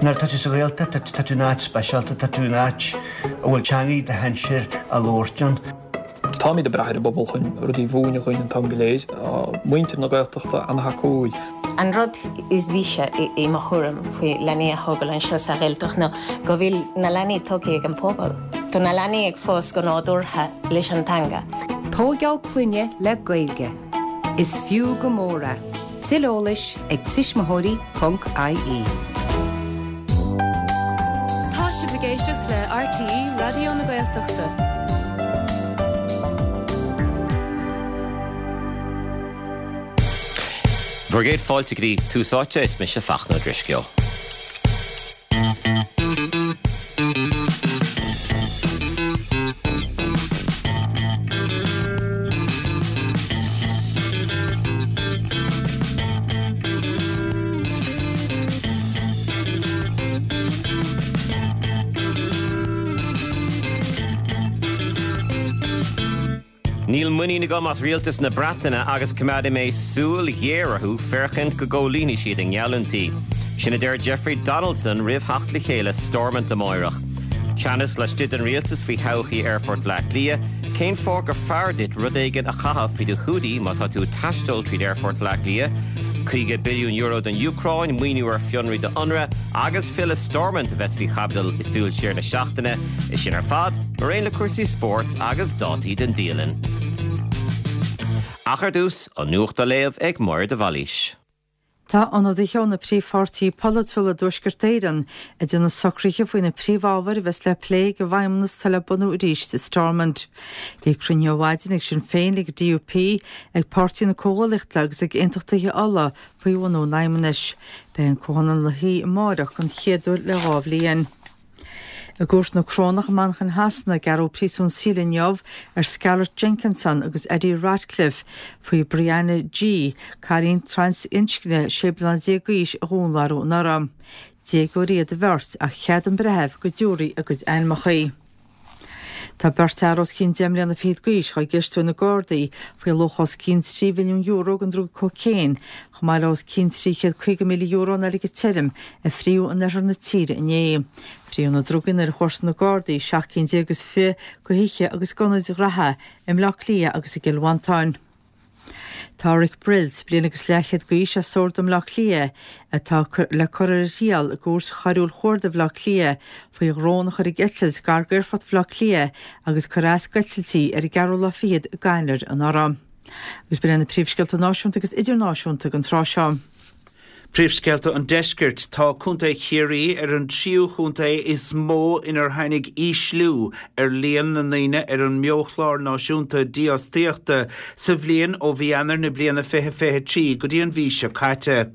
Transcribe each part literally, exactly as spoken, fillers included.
Nuair atá tú sa Ghaeltacht, tá tú in áit speisialta, tá tú in áit a bhfuil teangaidh do shinsir á labhairt ann. Táimid ag brath ar an bpobal chun rudaí a mhúineadh dhúinn an t-am go léir. Tá muintir na Gaeltachta an-thacúil. An rud is deise i mo thuairim faoi leanaí a thógáil anseo sa Ghaeltacht ná go bhfuil na leanaí tógtha ag an pobal. Tá na leanaí ag fás go nádúrtha leis an teanga. Tógáil clainne le Gaeilge. Is fiú go mór é. Tuilleadh eolais ag tuismitheoirí ponc IE. Tá sibh ag éisteacht le RTÉ Raidió na Gaeltachta. Bhur gcéad fáilte go dtí Tús Áite, is mise Fachtna Ó Drisceoil. Níl muinín agam as rialtas na Breataine agus coimeádfaidh mé súil ghéar orthu féachaint go gcomhlíonfaidh siad a ngeallúintí. Sin a deir Jeffrey Donaldson roimh theacht le chéile Stormont amáireach. Teannas laistigh den rialtas faoi thodhchaí Aerfort Bhaile Átha Cliath, cén fáth gur fearr duit rud éigin a chaitheamh faoi do húdaí má tá tú ag taisteal tríd Aerfort Bhaile Átha Cliath? caoga billiún euro don Úcráin, maoiniú ar fionraí do Unrwa agus filleadh Stormont a bheas faoi chaibidil i Súil Siar na seachtaine. É sin ar fad, mar aon le cúrsaí spóirt agus dátaí don dialann. Ach ar dtús, an nuacht á léamh ag Máire de Bhailís. Tá ionadaithe ó na príomhpháirtithe polaitiúla i dTuaisceart Éireann ag déanamh socruithe faoi na príomhábhair a bheas le plé ag an bhFeidhmeannas atá le bunú arís i Stormont. Bhí cruinniú ar maidin ag Sinn Féin, ag an DUP, ag Páirtí na Comhghuaillíochta agus ag Aontachtaithe Uladh faoi bhunú an Fheidhmeannais. Beidh an Comhthionól ina shuí amárach den chéad uair le dhá bhliain. I gCúirt na Corónach i Manchain Shasana, gearradh príosún saoil inniu ar Scarlett Jenkinson agus Eddie Ratcliffe faoi Brianna Ghey, cailín trasinscne sé bliana déag d'aois a dhúnmharú anuraidh. Déagóirí iad an bheirt ach cheadaigh an breitheamh go dtabharfaí a gcuid ainmeacha. Tá beirt fhear os cionn deich mbliana fichead d'aois dhá gceistiú ag na Gardaí faoi luach os cionn trí mhilliún euro den druga cócaon, chomh maith le os cionn trí chéad caoga míle euro in airgead tirim a fríodh in oirthear na tíre inné. Fríodh na drugaí nuair a chuartaigh na Gardaí seacht gcinn déag is fiche de thithe agus d'ionaid ghraithe i mBleá Cliath agus i gCill Mhantáin. Tá Rick Brills, bliain agus leathchéad d'aois as Sord i mBleá Cliath, atá le cur ar a thriail i gCúirt Choiriúil Chuarda Bhaile Átha Cliath faoi dhrón a chur ag eitilt gar d'Aerfort Bhaile Átha Cliath agus cur as d'eitiltí ar an gceathrú lá fichead d'Eanáir anuraidh. Agus b'in iad na príomhscéalta náisiúnta agus idirnáisiúnta don tráth seo. Príomhscéalta an Deiscirt, Tá Contae Chiarraí ar an tríú chontae is mó inar tháinig ísliú ar líon na ndaoine ar an mBeochlár Náisiúnta Dífhostaíochta sa bhliain ó mhí Eanáir na bliana fiche fiche trí go dtí an mhí seo caite.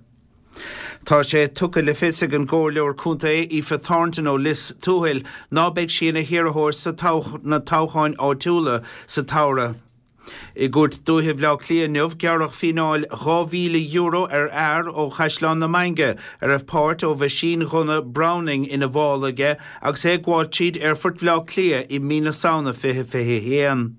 Tá sé tugtha le fios ag an gComhairleoir Contae Aoife Thornton ó Lios Tuathail ná beidh sí ina hiarrthóir sa na toghcháin áitiúla sa tsamhradh. I gCúirt Dúiche Bhaile Átha Cliath inniu, gearradh fíneáil dhá mhíle euro ar fhear ó Chaisleán na Mainge a raibh páirt ó mheaisínghunna Browning ina mhála aige agus é ag gabháil tríd Aerfort Bhaile Átha Cliath i mí na Samhna fiche fiche a haon.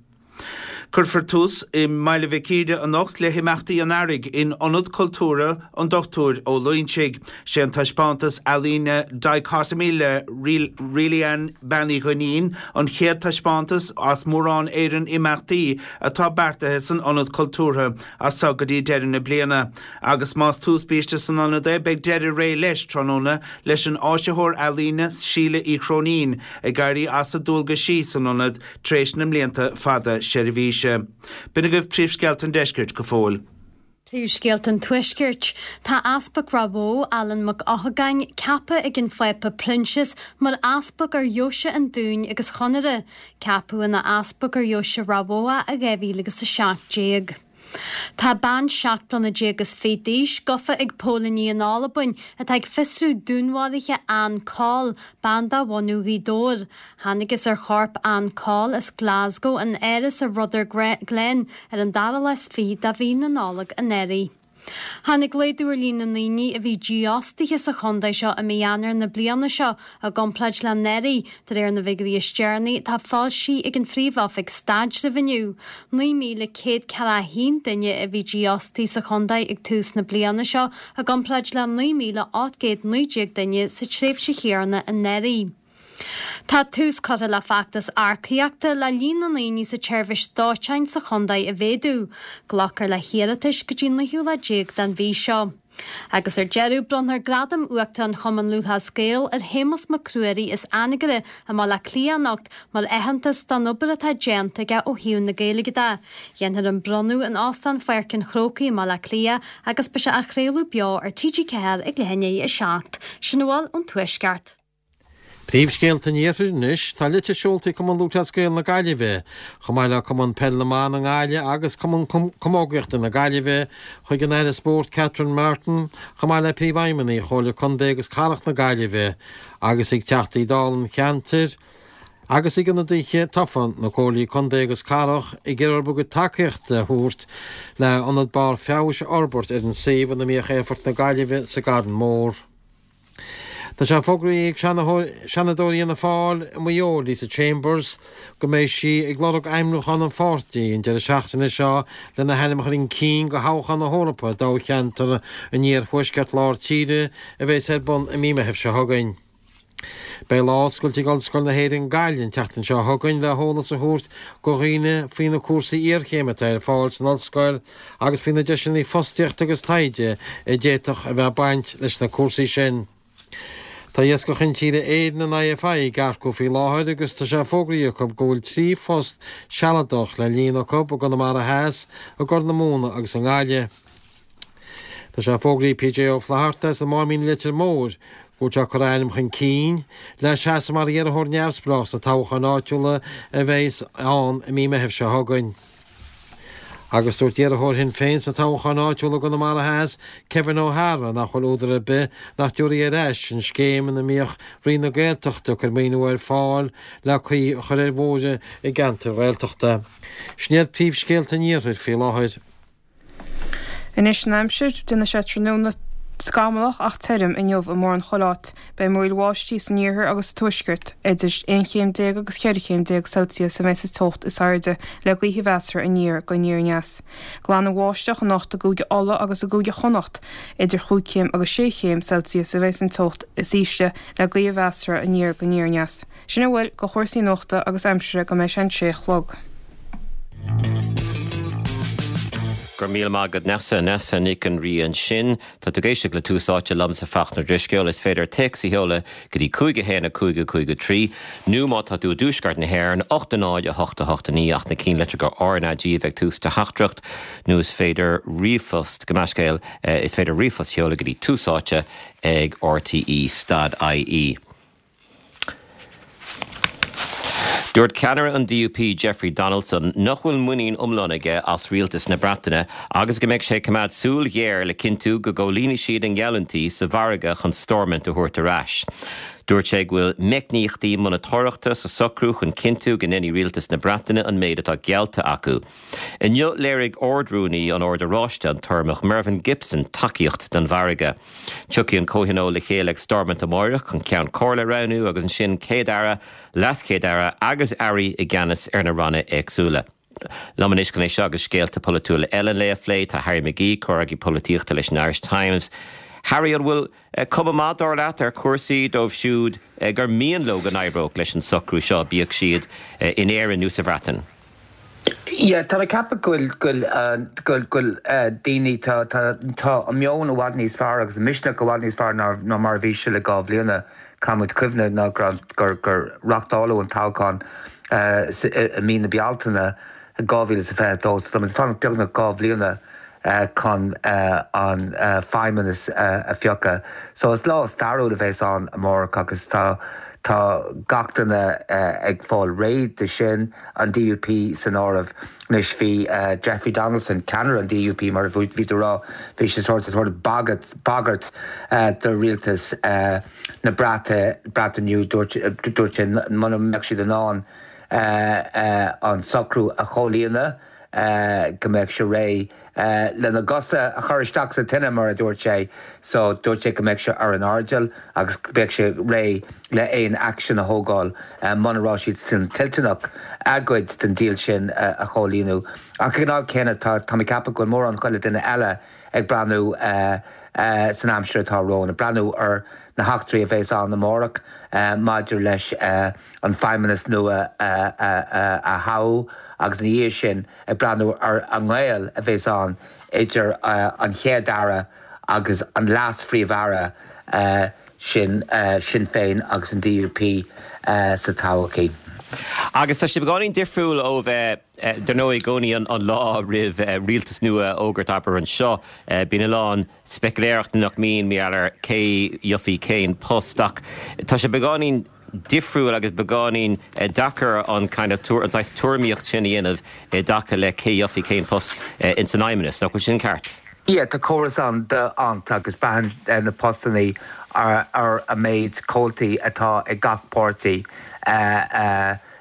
Cuirfear tús i mBaile Mhic Íde anocht le himeachtaí an Earraigh in Ionad Cultúrtha an Dochtúir Ó Loingsigh. Sé an taispeántas ealaíne Dichotomy le Reilly-Ann Bean Uí Dhuinnín an chéad taispeántas as mórán Éireann imeachtaí atá beartaithe san Ionad Cultúrtha as seo go dtí deireadh na bliana. Agus más tús biaiste san ionad é, beidh deireadh ré leis tráthnóna leis an áisitheoir ealaíne Síle Uí Chróinín ag éirí as a dualgaisí san ionad tar éis na mblianta fada seirbhíse. B'in agaibh príomhscéalta an deiscirt go fóill. Príomhscéalta an Tuaiscirt. Tá Easpag Ráth Bhoth, Alan Mac Eochagáin, ceaptha ag an Phápa Proinsias mar Easpag ar Dheoise an Dúin agus Chonaire. Ceapadh ina Easpag ar Dheoise Ráth Bhoth é i dhá mhíle agus a seacht déag. Tá bean seacht mbliana déag is fiche d'aois gafa ag póilíní in Albain atá ag fiosrú dúnmharuithe Ann Coll, bean de bhunadh Ghaoth Dobhair. Thángthas ar chorp Ann Coll as Glasgow in áras i Rutherglen ar an dara lá is fiche de mhí na Nollag anuraidh. Tháinig laghdú ar líon na ndaoine a bhí dífhostaithe sa chontae seo i mí Eanáir na bliana seo i gcomparáid le anuraidh, de réir na bhfigiúirí is deireanaí atá foilsithe ag an Phríomh-Oifig Staidrimh inniu. naoi míle céad ceathracha a haon duine a bhí dífhostaithe sa chontae ag tús na bliana seo i gcomparáid le naoi míle ocht gcéad naoi déag duine sa tréimhse chéanna anuraidh. Tá tús curtha le feachtas earcaíochta le líon na ndaoine sa tseirbhís dóiteáin sa chontae a mhéadú. Glacfar le hiarratais go dtí an naoú lá déag den mhí seo. Agus ar deireadh, bronnfar Gradam Uachtarán Chumann Lúthchleas Gael ar Shéamus Mac Ruairí as Anagaire i mBaile Átha Cliath anocht mar aitheantas don obair atá déanta aige ó thaobh na Gaeilge de. Dhéanfar an bronnadh in Óstán Pháirc an Chrócaigh i mBaile Átha Cliath agus beidh sé á chraoladh beo ar T G ceathair ag leath i ndiaidh a seacht. Sin a bhfuil ón Tuaisceart. Príomhscéalta an Iarthair anois, tá litir seolta ag Cumann Lúthchleas Gael na Gaillimhe, chomh maith le Cumann Peil na mBan i nGaillimh agus Cumann Camógaíochta na Gaillimhe, chuig an Aire Spóirt Catherine Martin, chomh maith le Príomhfheidhmeannaigh Chomhairle Contae agus Cathrach na Gaillimhe agus ag Teachtaí Dála an cheantair agus ag ionadaithe tofa na Comhairlí Contae agus Cathrach ag iarraidh orthu a gcuid tacaíochta a thabhairt le ionad barr feabhais a fhorbairt ar an suíomh ina mbíodh Aerfort na Gaillimhe sa gCarn Mór. Tá sé fógraithe ag Seanadóir Fhianna Fáil i Maigh Eo, Lisa Chambers, go mbeidh sí ag lorg ainmniúchán an pháirtí an deireadh seachtaine seo lena hainm a chur chun cinn do thoghchán na hEorpa i dtoghcheantar an Iarthuaisceart Lár Tíre a bheas ar bun i mí Meithimh seo chugainn. Beidh lá oscailte ag Ollscoil na hÉireann Gaillimh an tseachtain seo chugainn le heolas a thabhairt do dhaoine faoi na cúrsaí iarchéime atá ar fáil san ollscoil agus faoi na deiseanna fostaíochta agus taighde a d'fhéadfadh a bheith ag baint leis na cúrsaí sin. Tá Iascach Intíre Éireann an I F I ag earcú faoi láthair agus tá sé fógraithe acu go bhfuil trí phost sealadach le líonadh acu i gConamara Theas, i gCorr na Móna agus i nGaillimh. Tá sé fógraithe ag P J Ó Flatharta as an Máimín Leitir Móir go bhfuil sé ag cur a ainm chun cinn le seasamh mar iarrthóir neamhspleách sna toghcháin áitiúla a bheas ann i mí Meithimh seo chugainn. Agus dúirt iarrthóir Shinn Féin sna toghcháin áitiúla i gConamara Theas, Kevin O'Hara, nach bhfuil údar ar bith nach dtabharfaí ar ais an scéim ina mbíodh Roinn na Gaeltachta ag cur maoiniú ar fáil le caoi a chur ar bhóithre i gceantair Ghaeltachta. Sin iad príomhscéalta an Iarthair faoi láthair. Anois an aimsir, déanfaidh sé tráthnóna scamallach ach tirim inniu i mórán chuile áit. Beidh múraíl bháistí san iarthar agus sa tuaisceart. Idir aon chéim déag agus ceithre chéim déag Celsius a bheidh sa teocht is airde, le gaoth mheasartha aniar go aniar aneas. Glanbháisteach anocht i gCúige Uladh agus i gCúige Chonnacht. Idir chúig chéim agus sé chéim Celsius a bheidh an teocht is ísle le gaoth mheasartha aniar go aniar aneas. Sin a bhfuil de chúrsaí nuachta agus aimsire go mbeidh sé an sé a chlog. Go raibh míle maith agat Nessa Nessa Nic an Rí ansin Tá tú ag éisteacht le Tús Áite liomsa Fachtna Ó Drisceoil is féidir téacs a sheoladh go dtí cúig a haon a cúig a cúig a trí nó má tá tú i dtuaisceart na hÉireann ocht a náid a hocht a hocht a naoi ach na cinnlitreacha R N A G a bheith ag tús do theachtaireacht nó is féidir ríomhphost go meiscéal is féidir ríomhphost a sheoladh go dtí tús áite ag R T E dot I E. Dúirt ceannaire an D U P Jeffrey Donaldson nach bhfuil muinín iomlán aige as rialtas na Breataine agus go mbeidh sé ag coimeád súil ghéar le cinntiú go gcomhlíonfaidh siad a ngeallúintí sa mhargadh chun Stormont a thabhairt ar ais. Dúirt sé go bhfuil meicníochtaí monatóireachta sa socrú chun cinntiú go ndéanfaidh rialtas na Breataine an méid atá geallta acu. Inniu léirigh Ard-Rúnaí an Oird Oráistigh an tUrramach Mervyn Gibson tacaíocht don mhargadh. Tiocfaidh an comhthionól le chéile ag Stormont amárach chun ceann comhairle a roghnú agus ansin céad aire, leaschéad aire agus airí i gceannas ar na ranna éagsúla. Liom anois chun é seo agus scéalta polaitiúla eile le plé tá Harry McGee comhfhreagraí polaitíochta leis an Irish Times. Harry an bhfuil cuma mhaith dar leat ar chúrsaí dóibh siúd gur mian leo go n-oibreodh leis an socrú seo bíodh siad in Éirinn nó sa Bhreatain. Yeah, tá ceapaim go bhfuil go daoine tá an meon i bhfad níos fearr agus an misneach i bhfad níos fearr ná mar bhí sé le dhá bhliain caithfimid cuimhneamh ná gur gur reáchtáladh an toghchán i mí na Bealtaine dhá mhíle sa fiche dó tá fan beagnach dhá bhliana chun an feidhmeannas a phiocadh. So is lá stairiúil a bheas ann amárach agus tá tá gach duine ag fáil réidh de sin an D U P san áireamh anois bhí Jeffrey Donaldson ceannaire an D U P mar bhí tú ag rá bhí sé sort sort bagairt bagairt do rialtas na Breataine Breataine dúirt dúirt sé muna mbeadh siad in ann an socrú a chomhlíonadh go mbeadh sé réidh lena gcosa a chur isteach sa tine mar a dúirt sé so dúirt sé go mbeadh sé ar an airdeall agus beidh sé réidh le aon action a thógáil muna raibh siad sin toilteanach a gcuid den deal sin a chomhlíonadh. Ach ag an am céanna tá tá mé ag ceapadh go bhfuil mórán chuile duine eile ag breathnú san aimsir atá romhainn, ag breathnú ar na heachtraí a bheas ann amárach maidir leis an feidhmeannas nua a thoghadh agus ina dhiaidh sin ag breathnú ar an ngaol a bheas ann idir an Chéad Aire agus an Leas-Phríomh-Aire sin Sinn Féin agus an DUP sa todhchaí. Agus tá sé beagáinín difriúil ó bheith dar ndóigh i gcónaí an lá roimh rialtas nua a fhógairt abair anseo. Bíonn a lán speiciléireachta nach mbíonn mar gheall ar cé gheobhaidh cén post ach tá sé beagáinín difriúil agus beagáinín deacair an kind of an saghas tuairimíocht sin a dhéanamh i dtaca le cé gheobhaidh cén post ins an fheidhmeannas. Nach bhfuil sin ceart? Yeah, tá córas ann d'Hondt agus braitheann na postannaí ar ar an méid comhaltaí atá ag gach páirtí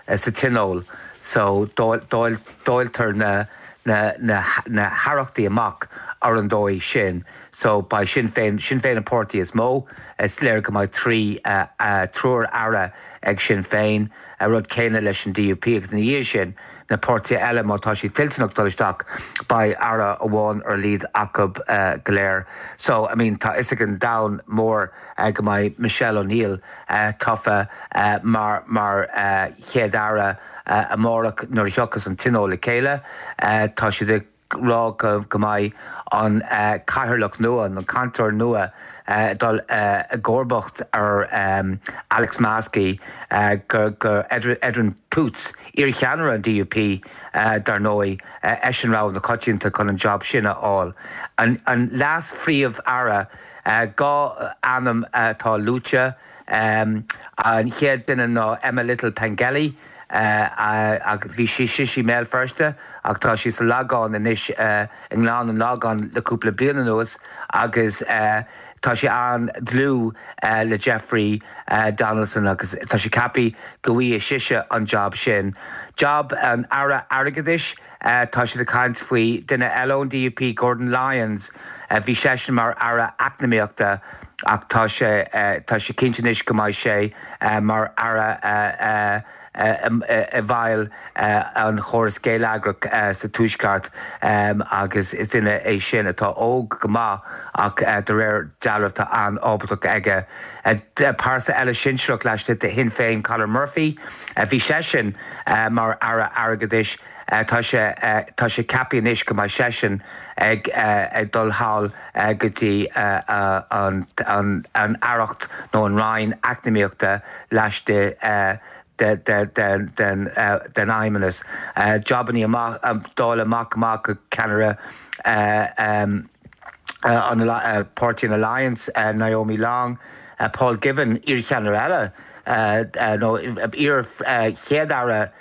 sa tionól so dáiltear na na na na haireachtaí amach ar an dóigh sin. So beidh Sinn Féin Sinn Féin an páirtí is mó, is léir go mbeidh trí triúr aire ag Sinn Féin, an rud céanna leis an DUP agus ina dhiaidh sin na páirtithe eile má tá siad toilteanach dul isteach beidh aire amháin ar a laghad acu go léir. So I mean tá fhios ag an domhan mór go mbeidh Michelle O'Neill tofa mar mar chéad aire amárach nuair a thiocfas an tionól le chéile. Tá siad ag rá go go mbeidh an cathaoirleach nua, an cainteoir nua dul i gcomharbacht ar Alex Maskey go go Edwin Poots, iarcheannaire an DUP dar ndóigh, eisean rogha na coitianta chun an job sin a fháil. An an leas-phríomh-aire, dhá ainm atá luaite, an chéad duine ná Emma Little Pengelly, ach bhí sí sise i mBéal Feirste ach tá sí sa Lagán anois i nGleann an Lagáin le cúpla bliain anuas agus tá sí an-dlúth le Jeffrey Donaldson agus tá sé ceaptha go bhfaighidh sise an job sin. Job an Aire Airgeadais, tá siad ag caint faoi duine eile ón DUP, Gordon Lyons, bhí seisean mar Aire Eacnamaíochta ach tá sé tá sé cinnte anois go mbeidh sé mar Aire i bhfeighil an chóras geilleagrach sa Tuaisceart agus is duine é sin atá óg go maith ach de réir dealraimh tá an-ábaltacht aige. Pearsa eile sinsearach laistigh de Shinn Féin, Conor Murphy, bhí seisean mar Aire Airgeadais, tá sé tá sé ceaptha anois go mbeidh seisean ag ag dul thall go dtí an an an aireacht nó an Roinn Eacnamaíochta laistigh den den den fheidhmeannas. Jobannaí amach dáileadh amach amach go ceannaire an páirtí an Alliance, Naomi Long, Paul Givan, iarcheannaire eile nó iar-chéad-aire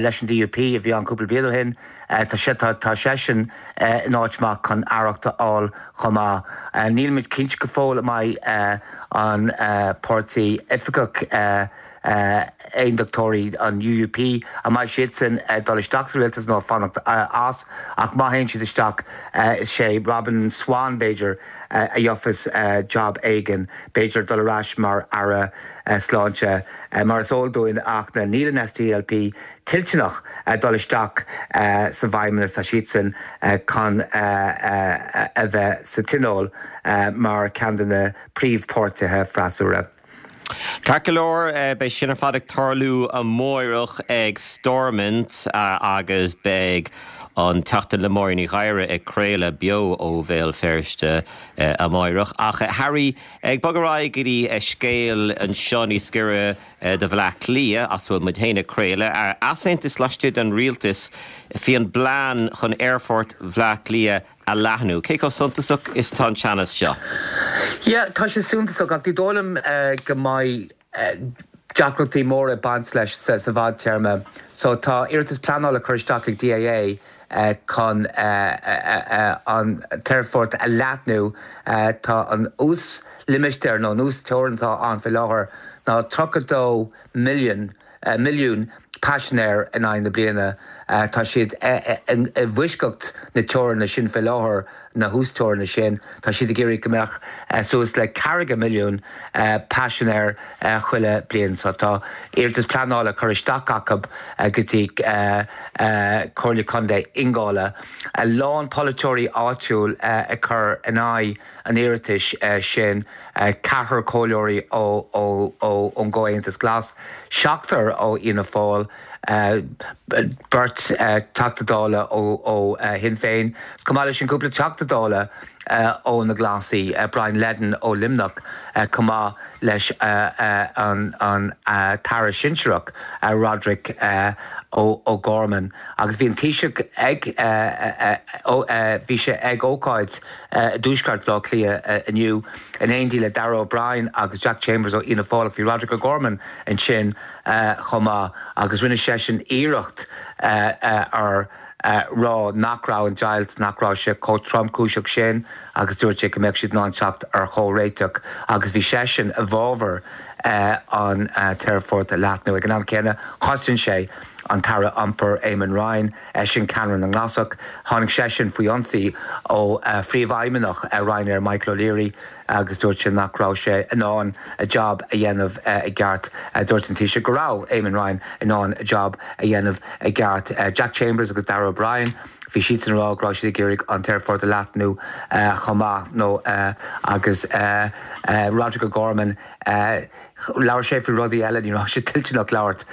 leis an DUP a bhí ann cúpla bliain ó shin, tá sé tá seisean in áit maith chun aireacht a fháil chomh maith. Nílimid cinnte go fóill an mbeidh an páirtí oifigeach aondachtóirí an UUP an mbeidh siadsan ag dul isteach sa rialtas nó fanacht as ach má théann siad isteach is é Robin Swann b'fhéidir a gheobhas job éigin, b'fhéidir dul ar ais mar aire sláinte. Mar is eol dúinn ach níl an SDLP toilteanach dul isteach sa bhfeidhmeannas, tá siadsan chun a bheith sa tionól mar ceann de na príomhpháirtithe freasúra. Ceart go leor, beidh sin ar fad ag tarlú amárach ag Stormont agus beidh an Teachta le Máirín Ní Ghadhra ag craoladh beo ó Bhéal Feirste amárach. Ach Harry, ag bogadh ar aghaidh go dtí scéal anseo níos giorra do Bhaile Átha Cliath as a bhfuil muid féin ag craoladh, easaontas laistigh den rialtas faoin bplean chun aerfort Bhaile Átha Cliath a leathnú. Cé chomh suntasach is atá an teannas seo? Yeah, tá sé suntasach ach ní dóigh liom go mbeidh deacrachtaí móra ag baint leis sa bhfadtéarma. So tá iarratas pleanála curtha isteach ag DAA chun an t-aerfort a leathnú. Tá an uaslimistéar nó an uasteorainn atá ann faoi láthair ná tríocha dó million milliún paisinéir in aghaidh na bliana. Tá siad i bhfoisceacht na teoranna sin fé láthair, na huasteoranna sin. Tá siad ag iarraidh go mbeadh suas le ceathracha milliún paisinéir chuile bliain. So tá iarratas pleanála curtha isteach acu go dtí Comhairle Contae Ingall. A lán polaiteoirí áitiúil ag cur in aghaidh an iarratais sin, ceathrar comhairleoirí ón gComhaontas Glas, seachtar ó Fhianna Fáil, beirt Teachta Dála ó Shinn Féin, chomh maith leis sin cúpla Teachta Dála ó na Glasaí, Brian Leddin ó Luimneach, chomh maith leis an tAire Sinsearach Roderic O'Gorman. Agus bhí an Taoiseach ag bhí sé ag ócáid i dtuaisceart Bhaile Átha Cliath inniu in éindí le Darragh O'Brien agus Jack Chambers ó Fhianna Fáil ach bhí Roderic O'Gorman ansin chomh maith agus rinne seisean iarracht ar rá nach raibh an deighilt, nach raibh sé chomh tromchúiseach sin agus dúirt sé go mbeadh siad in ann teacht ar chomhréiteach agus bhí seisean i bhfabhar an t-aerfort a leathnú. Ag an am céanna, chosain sé an tAire Iompair Eamon Ryan, eisean ceannaire na nGlasach. Tháinig seisean faoi ionsaí ó phríomhfheidhmeannach Ryanair Michael O'Leary agus dúirt sé nach raibh sé in ann a jab a dhéanamh i gceart. Dúirt an Taoiseach go raibh Eamon Ryan in ann a jab a dhéanamh i gceart. Jack Chambers agus Darragh O'Brien, bhí siadsan ag rá go raibh siad ag iarraidh an t-aerfort a leathnú chomh maith nó agus Roderic O'Gorman, Labhair sé faoi rudaí eile, ní raibh sé toilteanach labhairt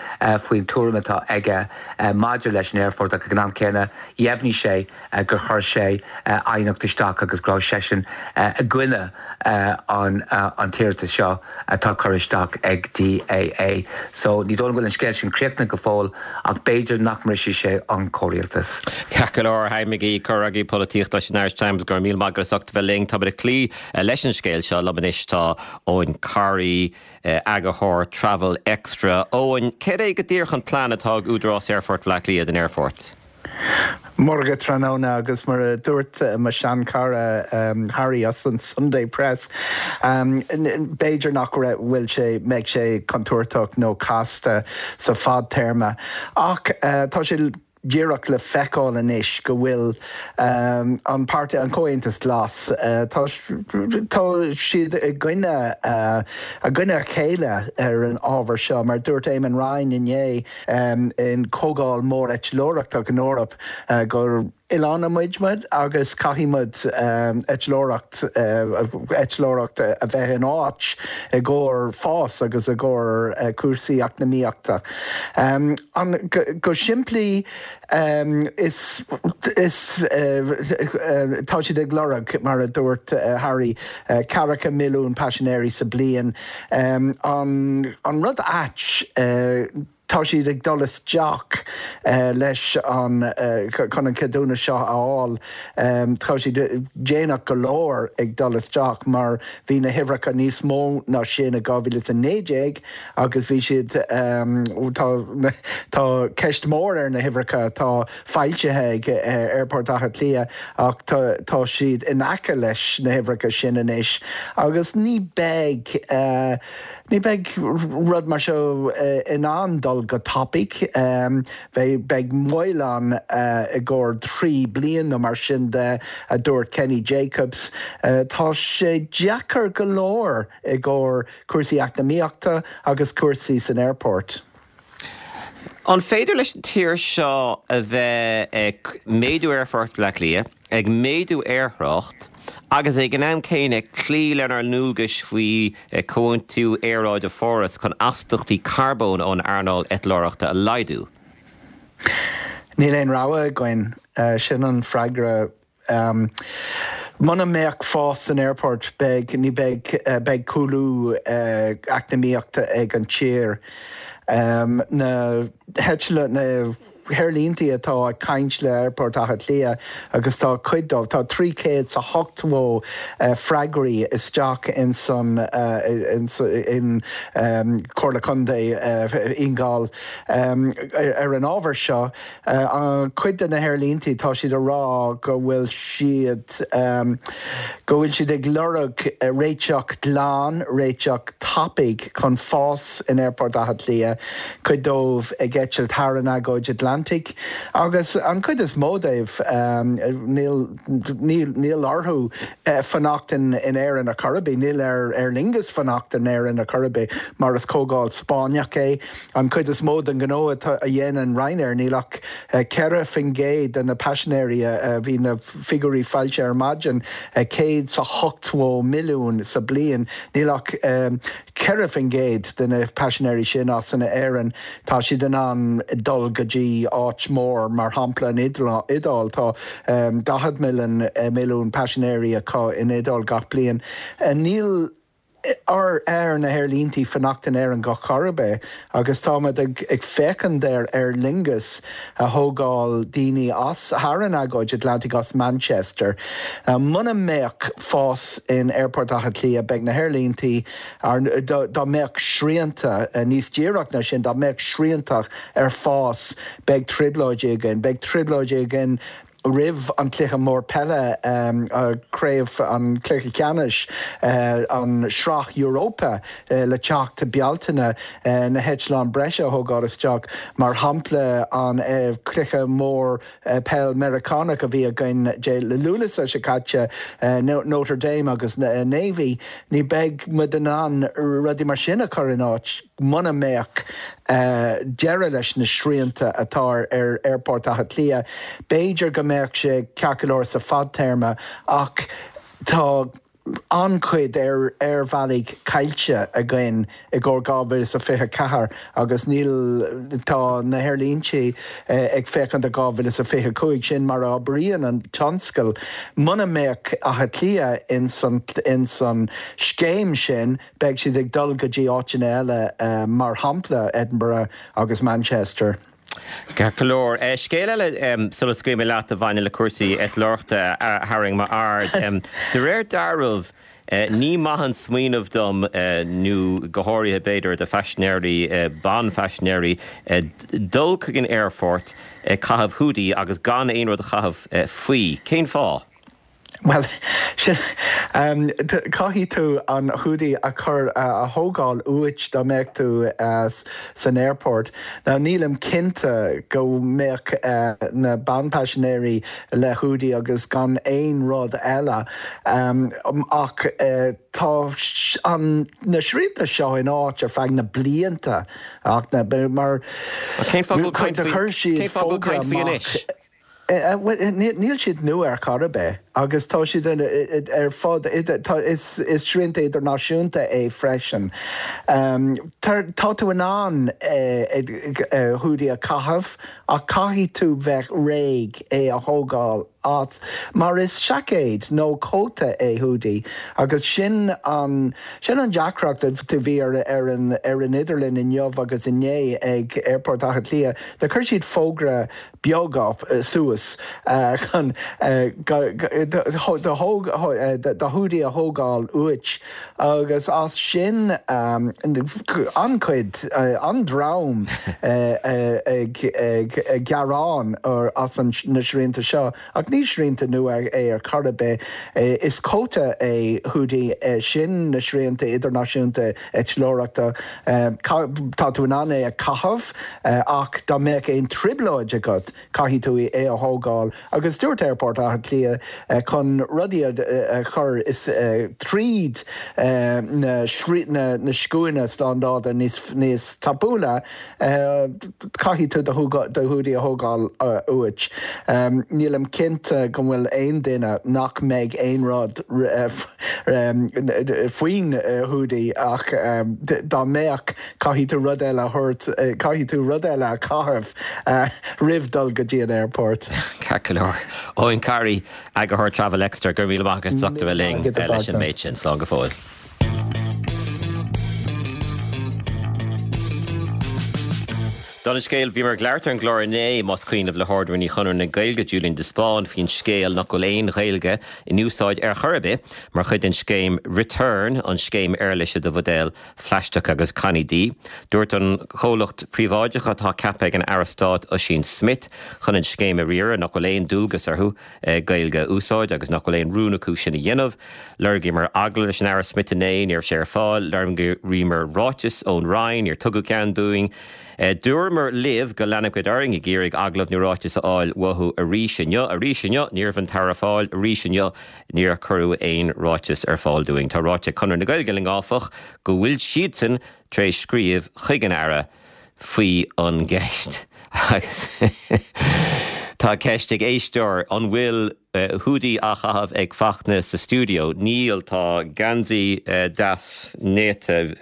faoin tuairim atá aige maidir leis an aerfort ach ag an am céanna dheimhnigh sé gur chuir sé aighneacht isteach agus go raibh seisean i gcoinne an an t-iarratas seo atá curtha isteach ag DAA. So ní dóigh liom go bhfuil an scéal sin críochnaithe go fóill ach b'fhéidir nach mbrisfidh sé an comhrialtas. Ceart go leor, Harry McGee, comhfhreagraí polaitíochta leis an Irish Times, go raibh míle maith agat as ucht a bheith linn. Táimid ag cloí leis an scéal seo liom anois tá Eoin Corry, Eagarthóir Travel Extra. Eoin, céard é go díreach an plean atá ag Údarás Aerfort Bhaile Átha Cliath don aerfort? Mórga tráthnóna agus mar a dúirt mo sheanchara Harry as an Sunday Press, b'fhéidir nach bhfuil sé, mbeidh sé contúirteach nó casta sa fadtéarma ach tá sé díreach le feiceáil anois go bhfuil an páirtí, an Comhaontas Glas, tá siad i gcoinne i gcoinne a chéile ar an ábhar seo. Mar dúirt Eamon Ryan inné in comhdháil mór eitleoireachta in Eoraip gur oileán muid muid agus caithfidh muid eitleoireacht eitleoireacht a bheith in áit i gcomhair fás agus i gcomhair cúrsaí eacnamaíochta. An go simplí is is tá siad ag lorg, mar a dúirt Harry, ceathracha milliún paisinéirí sa bliain. An an rud ait, Tá siad ag dul isteach leis an chun an ceadúnas seo a fháil. Tá siad déanach go leor ag dul isteach mar bhí na huimhreacha níos mó ná sin i dhá mhíle is a naoi déag agus bhí siad tá tá ceist mhór ar na huimhreacha atá foilsithe ag Aerfort Átha Cliath ach tá tá siad in aice leis na huimhreacha sin anois agus ní beidh Ní bheidh rud mar seo in ann dul go tapaidh. Beidh moill ann i gcomhair trí bliain nó mar sin de, a dúirt Kenny Jacobs. Tá sé deacair go leor i gcomhair cúrsaí eacnamaíochta agus cúrsaí san aerfort. An féidir leis an tír seo a bheith ag méadú Aerfort Bhaile Átha Cliath, ag méadú aerthrácht agus ag an am céanna cloí lenár ndualgais faoi Chomhaontú Aeráide Pháras chun astaíochtaí carbóin ón earnáil eitleoireachta a laghdú? Níl aon rogha againn. Sin an freagra. Muna mbeadh fás san aerfort, beidh, ní beidh, beidh cúlú eacnamaíochta ag an tír. Na heitleáin, na haerlíntí atá ag caint le Aerfort Átha Cliath agus tá cuid dóibh, tá trí chéad 's a hochtó freagraí isteach in san in Comhairle Contae Fhine Gall ar an ábhar seo. Cuid de na haerlíntí tá siad ag rá go bhfuil siad go bhfuil siad ag lorg réiteach glan, réiteach tapaidh chun fás in Aerfort Átha Cliath, cuid dóibh ag eitilt thar an agóid Atlantaigh agus an chuid is mó dóibh níl níl orthu fanacht in Éirinn ar chor ar bith, níl ar Aer Lingus fanacht in Éirinn ar chor ar bith mar is comhdháil Spáinneach é. An chuid is mó den ghnó a dhéanann Ryanair, níl ach ceithre faoin gcéad de na paisinéirí a bhí na figiúirí foilsithe ar maidin, céad 's a hochtó milliún sa bliain, níl ach ceithre faoin gcéad de na paisinéirí sin as an Éirinn. Tá siad in ann dul go dtí áit mór, mar shampla an Iodáil. Tá daichead milliún paisinéirí acu in Iodáil gach bliain. Níl ar ar na haerlíntí fanacht in Éirinn go chor ar bith agus táimid ag féachaint ar Aer Lingus a thógáil daoine as thar an agóid Atlantaigh as Manchester. Muna mbeadh fás in Aerfort Átha Cliath beidh na haerlíntí dá mbeadh srianta níos díreach ná sin, dá mbeadh srianta ar fás beidh trioblóidí againn, beidh trioblóidí againn roimh an cluiche mór peile, craobh an cluiche ceannais, an Sraith Europa le teacht Bealtaine, na heitleáin breise a thógáil isteach, mar shampla an cluiche mór peil Meiriceánach a bhí againn Dé Lúnasa seo caite, Notre Dame agus Navy, ní beidh muid in ann rudaí mar sin a chur in áit muna mbeadh deireadh leis na srianta atá ar Aerfort Átha Cliath. B'fhéidir go mbeadh sé ceart go leor sa fadtéarma ach tá an-chuid aerbhealaigh caillte againn i gcomhair dhá mhíle is a fiche ceathair agus níl, tá na haerlíntí ag féachaint do dhá mhíle is a fiche cúig, sin mar a oibríonn an tionscal. Muna mbeadh Áth Cliath ins an ins an scéim sin beidh siad ag dul go dtí áiteanna eile mar shampla Edinburgh agus Manchester. Ceart go leor. Scéal eile sula scaoilfidh mé leat a bhaineann le cúrsaí eitleoireachta a tharraing m'aird. De réir dealraimh, ní maith an smaoineamh dom, nó go háirithe b'fhéidir do phaisinéirí, banphaisinéirí, dul chuig an aerfort ag caitheamh hoodie agus gan aon rud a chaitheamh faoi. Cén fáth? Bhuel, sin, caithfidh tú an hoodie a chur, a thógáil uait dá mbeadh tú san aerfort. Now nílim cinnte go mbeadh na banphaisinéirí le hoodie agus gan aon rud eile ach tá an, na srianta seo in áit ar feadh na blianta ach na, mar Cén fáth go bhfuil caint faoi, cén fáth go bhfuil caint faoi anois? Níl siad nua ar chor ar bith agus tá siad ar fud, is srianta idirnáisiúnta é freisin. Tá tú in ann hoodie a chaitheamh ach caithfidh tú bheith réidh é a thógáil as mar is seaicéad nó cóta é hoodie agus sin an sin an deacracht a bhí ar an ar an idirlíon inniu agus inné ag Aerfort Átha Cliath. Do chuir siad fógra beag suas chun do hoodie a thógáil uait agus as sin an-chuid, an-dream ag gearán as na srianta seo ach ní srianta nua é ar chor ar bith. Is cóta é hoodie, sin na srianta idirnáisiúnta eitleoireachta. Tá tú in ann é a chaitheamh ach dá mbeadh aon trioblóid agat, caithfidh tú é a thógáil agus dúirt Aerfort Átha Cliath chun rudaí a chur tríd na scuainí slándála níos tapúla, caithfidh tú do hoodie a thógáil uait. Nílim cinnte go bhfuil aon duine nach mbeidh aon rud faoin hoodie ach dá mbeadh, caithfidh tú rud eile a thabhairt, caithfidh tú rud eile a chaitheamh roimh dul go dtí an aerfort. Ceart go leor. Eoin Carey, Eagarthóir Travel Extra, go raibh míle maith agat as ucht a bheith linn leis an méid sin. Slán go fóill. Don scéal bhíomar ag labhairt ar an gclár inné más cuimhin libh le hArd-Rúnaí Chonradh na Gaeilge Julian de Spáinn faoin scéal nach bhfuil aon Ghaeilge in úsáid ar chor ar bith mar chuid den scéim Return an scéim éarlaise do bhuidéil phlaisteacha agus cannaí dí. Dúirt an comhlacht príobháideach atá ceaptha ag an Aire Stáit Ossian Smyth chun an scéim a riaradh nach bhfuil aon dualgas orthu Gaeilge a úsáid agus nach bhfuil aon rún acu sin a dhéanamh. Lorgaíomar agallamh leis an Aire Smyth inné ní raibh sé ar fáil, lorgaíomar ráiteas ón Roinn níor tugadh ceann dúinn. Dúramar libh go leanfadh orainn ag iarraidh agallamh nó ráiteas a fháil uathu arís inniu, arís inniu, ní raibh an tAire ar fáil, arís inniu níor cuireadh aon ráiteas ar fáil dúinn. Tá ráite ag Conradh na Gaeilge linn áfach go bhfuil siadsan tar éis scríobh chuig an Aire faoi an gceist agus tá ceist ag éisteoir an bhfuil húdaí á chaitheamh ag Fachtna sa stiúideo. Níl tá geansaí deas néata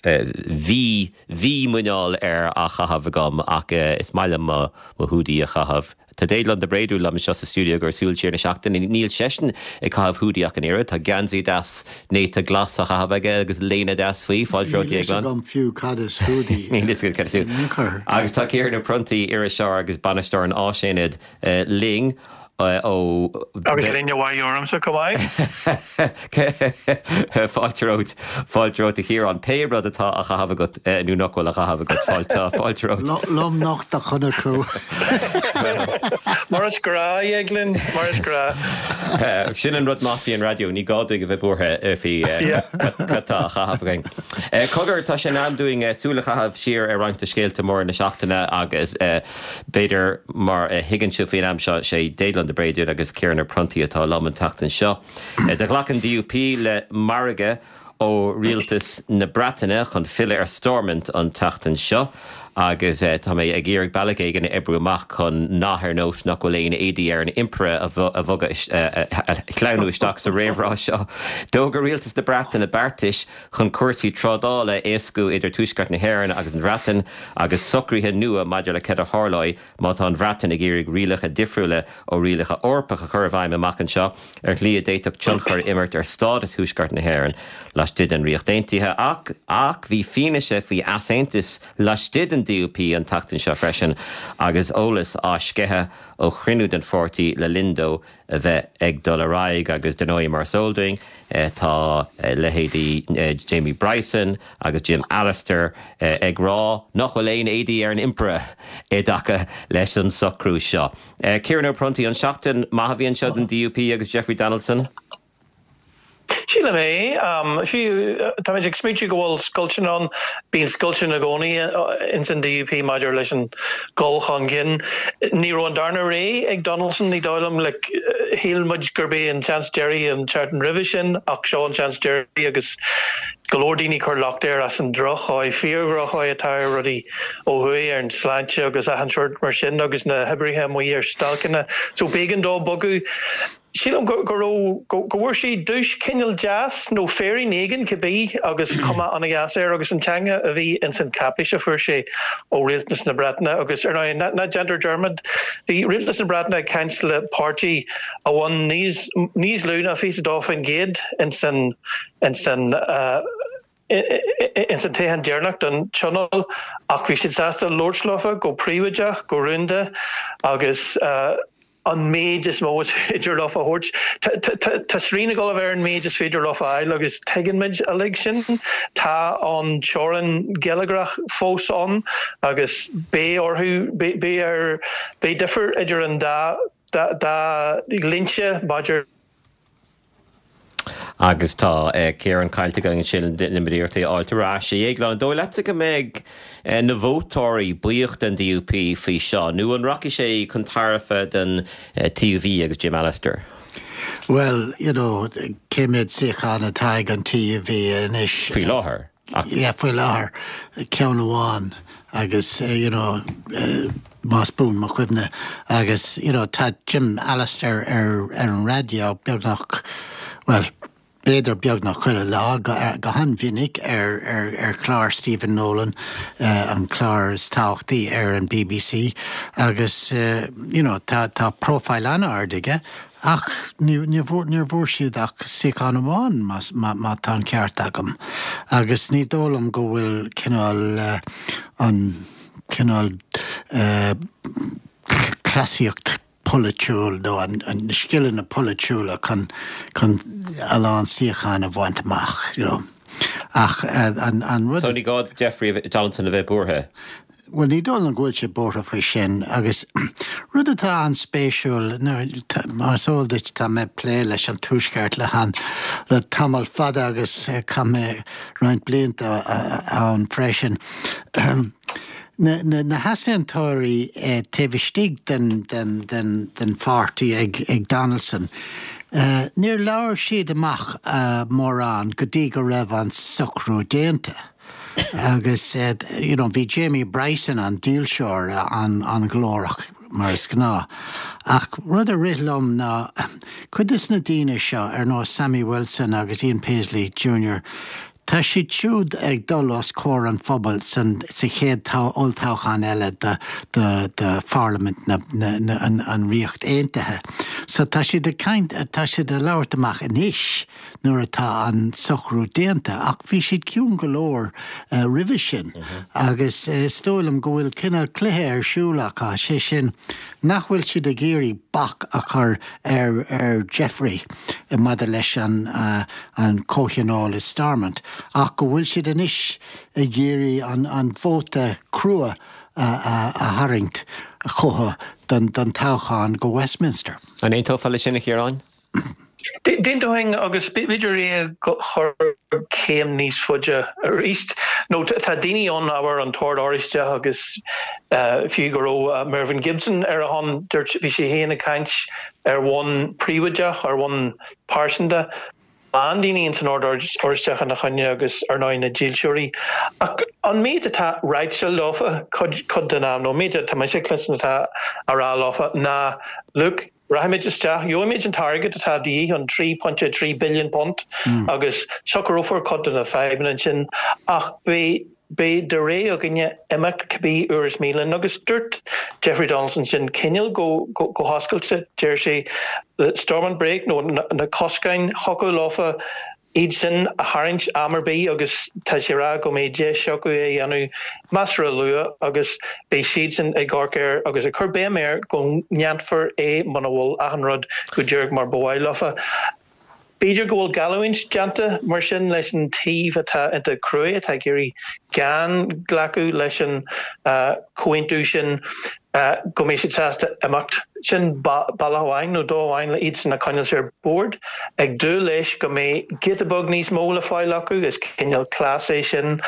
bhí bhí muineál air á chaitheamh agam ach is maith liom mo mo húdaí a chaitheamh. Tá Déaglán de Bréadú liom anseo sa stiúideo ar Súil Siar na Seachtaine. Níl seisean ag caitheamh húdaí ach an oiread, tá geansaí deas néata glas á chaitheamh aige agus léine deas faoi, fáilte romhat Déaglán. Níl fiú cad is húdaí. Níl fhios agat cad is húdaí. Agus tá Ciarán Ó Pronntaigh, iriseoir agus bainisteoir an Áisaonaid linn ó Agus léine mhaith ormsa chomh maith. Fáilte romhat fáilte romhat a Chiaráin pé rud atá á chaitheamh agat nó nach bhfuil á chaitheamh agat fáilte fáilte romhat. Lom nocht a chonaic thú. Mar is gnách a Dhéagláin, mar is gnách. Sin an rud maith faoi an raidió, ní gá dúinn a bheith buartha faoi cad tá á chaitheamh againn. Cogar tá sé in am dúinn súil a chaitheamh siar ar roinnt de scéalta móra na seachtaine agus b'fhéidir mar a thuigeann sibh faoin am seo sé Déaglán de Bréadún agus Ciarán Ó Pronntaigh atá liom an tseachtain seo. Do ghlac an DUP le margadh ó rialtas na Breataine chun filleadh ar Stormont an tseachtain seo agus tá mé ag iarraidh bealach éigin a oibriú amach chun nath ar nós nach bhfuil aon éadaí ar an impire a bhogadh a shleamhnú isteach sa réamhrá seo. D'fhógair rialtas na Breataine beartais chun cúrsaí trádála a éascú idir Tuaisceart na hÉireann agus an Bhreatain agus socruithe nua maidir le cad a tharlóidh má tá an Bhreatain ag iarraidh rialacha difriúla ó rialacha Eorpach a chur i bhfeidhm amach anseo ar shlí a d'fhéadfadh tionchar imirt ar stádas Thuaisceart na hÉireann laistigh den Ríocht Aontaithe ach ach bhí fianaise faoi easaontas laistigh den DUP an tseachtain seo freisin agus eolas á sceitheadh ó chruinniú den pháirtí le linn dó a bheith ag dul ar aghaidh agus dar ndóigh mar is eol dúinn tá leithéidí Jamie Bryson agus Jim Allister ag rá nach bhfuil aon éadaí ar an impire i dtaca leis an socrú seo. Ciarán Ó Pronntaigh an seachtain maith a bhí anseo don DUP agus Jeffrey Donaldson. Sílim é Táimid ag smaointiú go bhfuil scoilteanna ann bíonn scoilteanna i gcónaí ins an DUP maidir leis an dul chun cinn. Ní raibh an darna ré ag Donaldson ní dóigh liom le shíl muid gurb é an seans deiridh an tseachtain roimhe sin ach seo an seans deiridh agus go leor daoine ag cur locht air as an drochdhóigh fíordhrochthóigh atá ar rudaí ó thuaidh ar an sláinte agus achan sórt mar sin agus na hoibrithe amuigh ar stailceanna so b'éigean dó bogadh. Sílim go go raibh go go bhfuair sé duais cineál deas nó féirín éigin cibé agus cuma an-dheas air agus an teanga a bhí ins an cáipéis a fuair sé ó Rialtas na Breataine agus ar ndóigh ná ná déantar dearmad bhí Rialtas na Breataine ag caint le páirtí a bhain níos níos lú ná fiche dó faoin gcéad ins an ins an ins an toghchán deireanach don Tionól ach bhí siad sásta labhairt leofa go príobháideach go rúnda agus an méid is mó is féidir leofa a thabhairt. Tá srian ag dul a bheith ar an méid is féidir leofa a fháil agus tuigeann muid uilig sin. Tá an teorainn gheilleagrach fós ann agus beidh orthu beidh ar beidh difear idir an dá dá dhlínse maidir Agus tá Ciarán caillte againn ansin déanfaimid iarracht é a fháilt ar ais. A Dhéagláin, an dóigh leatsa go mbeidh na vótóirí buíoch den DUP faoi seo nó an rachaidh sé chun tairbhe don TUV agus Jim Allister? Well, you know, cé mhéad suíochán atá ag an TUV anois? Faoi láthair. Yeah, faoi láthair ceann amháin agus you know, más buan mo chuimhne agus you know, tá Jim Allister ar ar an raidió beagnach well, b'fhéidir beagnach chuile lá go, go han-mhinic ar, ar, ar chlár Stephen Nolan uh, an clár is tábhachtaí ar an BBC agus uh, you know, tá, tá profile an-ard aige ach ní níor bhfuair siad ach suíochán amháin má tá an ceart agam. Agus ní dóigh liom go bhfuil cineál uh, an cineál cleasaíocht polaitiúil nó an na scileanna polaitiúla chun chun a lán suíochán a bhaint amach, you know. Ach an an rud. So ní gá Jeffrey Donaldson a bheith buartha? Bhuel, ní dóigh liom go bhfuil sé buartha faoi sin agus rud atá an-spéisiúil, mar is eol duit tá mé ag plé leis an Tuaisceart le han le tamall fada agus chaith mé roinnt blianta ann freisin. Na, na, na heasaontóirí taobh istigh den, den, den, den pháirtí ag, ag Donaldson, níor labhair siad amach mórán go dtí go raibh an socrú déanta. Agus you know, bhí Jamie Bryson an dílseoir an, an-ghlórach mar is gnáth. Ach rud a rith liom ná cuid de na daoine seo ar nós Sammy Wilson agus Ian Paisley Junior, tá siad siúd ag dul os comhair an phobail san sa chéad olltoghchán eile do do do Pharlaimint na na na an an Ríocht Aontaithe. So tá siad ag caint tá siad ag labhairt amach anois nuair atá an socrú déanta ach bhí siad ciúin go leor roimhe sin agus is dóigh liom go bhfuil cineál cluiche ar siúl acu, sé sin nach bhfuil siad ag iarraidh bac a chur ar ar Jeffrey maidir leis an an comhthionól i Stormont ach go bhfuil siad anois ag iarraidh an an vóta crua a a a tharraingt chucu don don toghchán go Westminster. An aontófá leis sin, a Chiaráin? D'aontóinn agus b'fhéidir é a chur céim níos faide arís. Nó tá daoine ann, abair an tOrd Oráisteach agus fiú go raibh Mervyn Gibson ar a shon, dúirt, bhí sé féin ag caint ar bhonn príobháideach, ar bhonn pearsanta. A lán daoine ins an Ord Oráisteach ina choinne agus ar ndóigh na dílseoirí. Ach an méid atá ráite leofa cuid, cuid den am, nó an méid atá mise ag cluinstin atá á rá leofa ná look, Rachaimid isteach, gheobhaimid an t-airgead atá de dhíth, an trí pointe trí billiún punt, agus socrófar cuid de na fadhbanna ansin, ach beidh, beidh de rogha againne imeacht cibé uair is mian linn. Agus dúirt Jeffrey Donaldson sin cineál go, go, go hoscailte, deir sé, the Stormont brake nó na, na coscáin, thiocfadh leofa iad sin a tharraingt am ar bith agus tá sé ag rá go mbeidh deis acu é a dhéanamh measartha luath agus beidh siadsan ag amharc air agus ag cur béim air go ndéanfar é muna bhfuil achan rud go díreach mar ba mhaith leofa. B'fhéidir go bhfuil geallúint déanta mar sin leis an taobh atá iontach cruaidh, atá ag iarraidh gan glacadh leis an chomhaontú sin. go mbeidh siad sásta imeacht. Sin bealach amháin nó dóigh amháin le iadsan a choinneáil ar bord. Ag dúil leis go mbeidh giota beag níos mó le fáil acu, is cineál cleas é sin.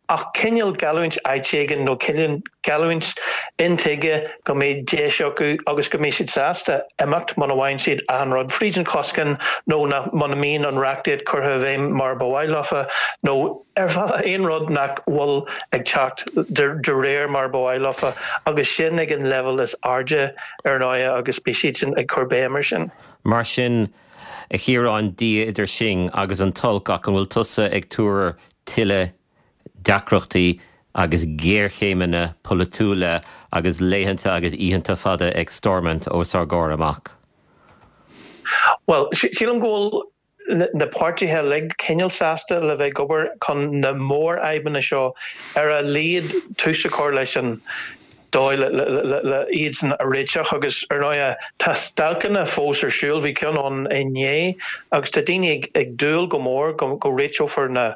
Ach cineál geallúint áit éigin nó cineál geallúint intuigthe go mbeidh deis acu agus go mbeidh siad sásta imeacht muna bhfaigheann siad achan rud fríd an choscán nó muna mbíonn an reachtaíocht curtha i bhfeidhm mar ba mhaith leofa nó ar bhealach aon rud nach bhfuil ag teacht de réir mar ba mhaith leofa agus sin ag an leibhéal is airde ar ndóigh agus beidh siadsan ag cur béim air sin. Mar sin, a Chiaráin, Dia idir sinn agus an t-olc ach an bhfuil tusa ag tuar tuilleadh deacrachtaí agus géarchéimeanna polaitiúla agus laethanta agus oícheanta fada ag Stormont os ár gcomhair amach? Bhuel, sílim go bhfuil na páirtithe uilig cineál sásta le bheith ag obair chun na mórfhadhbanna seo ar a laghad tús a chur leis an dóigh le iadsan a réiteach agus ar ndóigh tá stailceanna fós ar siúl, bhí ceann ann inné agus tá daoine ag dúil go mór go réiteofar na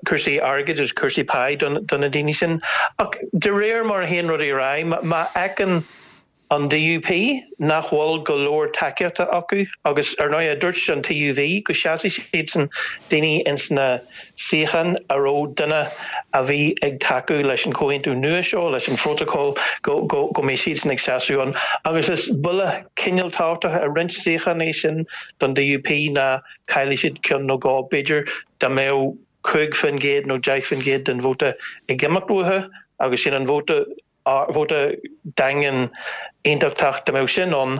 cúrsaí airgid agus cúrsaí pá do na daoine sin. Ach de réir mar a théann rudaí ar aghaidh, má fheiceann an D U P nach bhfuil go leor tacaíochta acu agus ar ndóigh dúirt an T U V go seasfaidh siadsan daoine ins na suíocháin a raibh duine a bhí ag tacú leis an chomhaontú nua seo, leis an phrótacal, go go go mbeidh siadsan ag seasamh ann. Agus is buille cineál tábhachtach i roinnt suíochán é sin don D U P ná caillfidh siad ceann nó dhó b'fhéidir dá mbeadh cúig faoin gcéad nó deich faoin gcéad den vóta ag imeacht uathu agus sin an vóta vóta daingean aontachtach, dá mbeadh sin ann,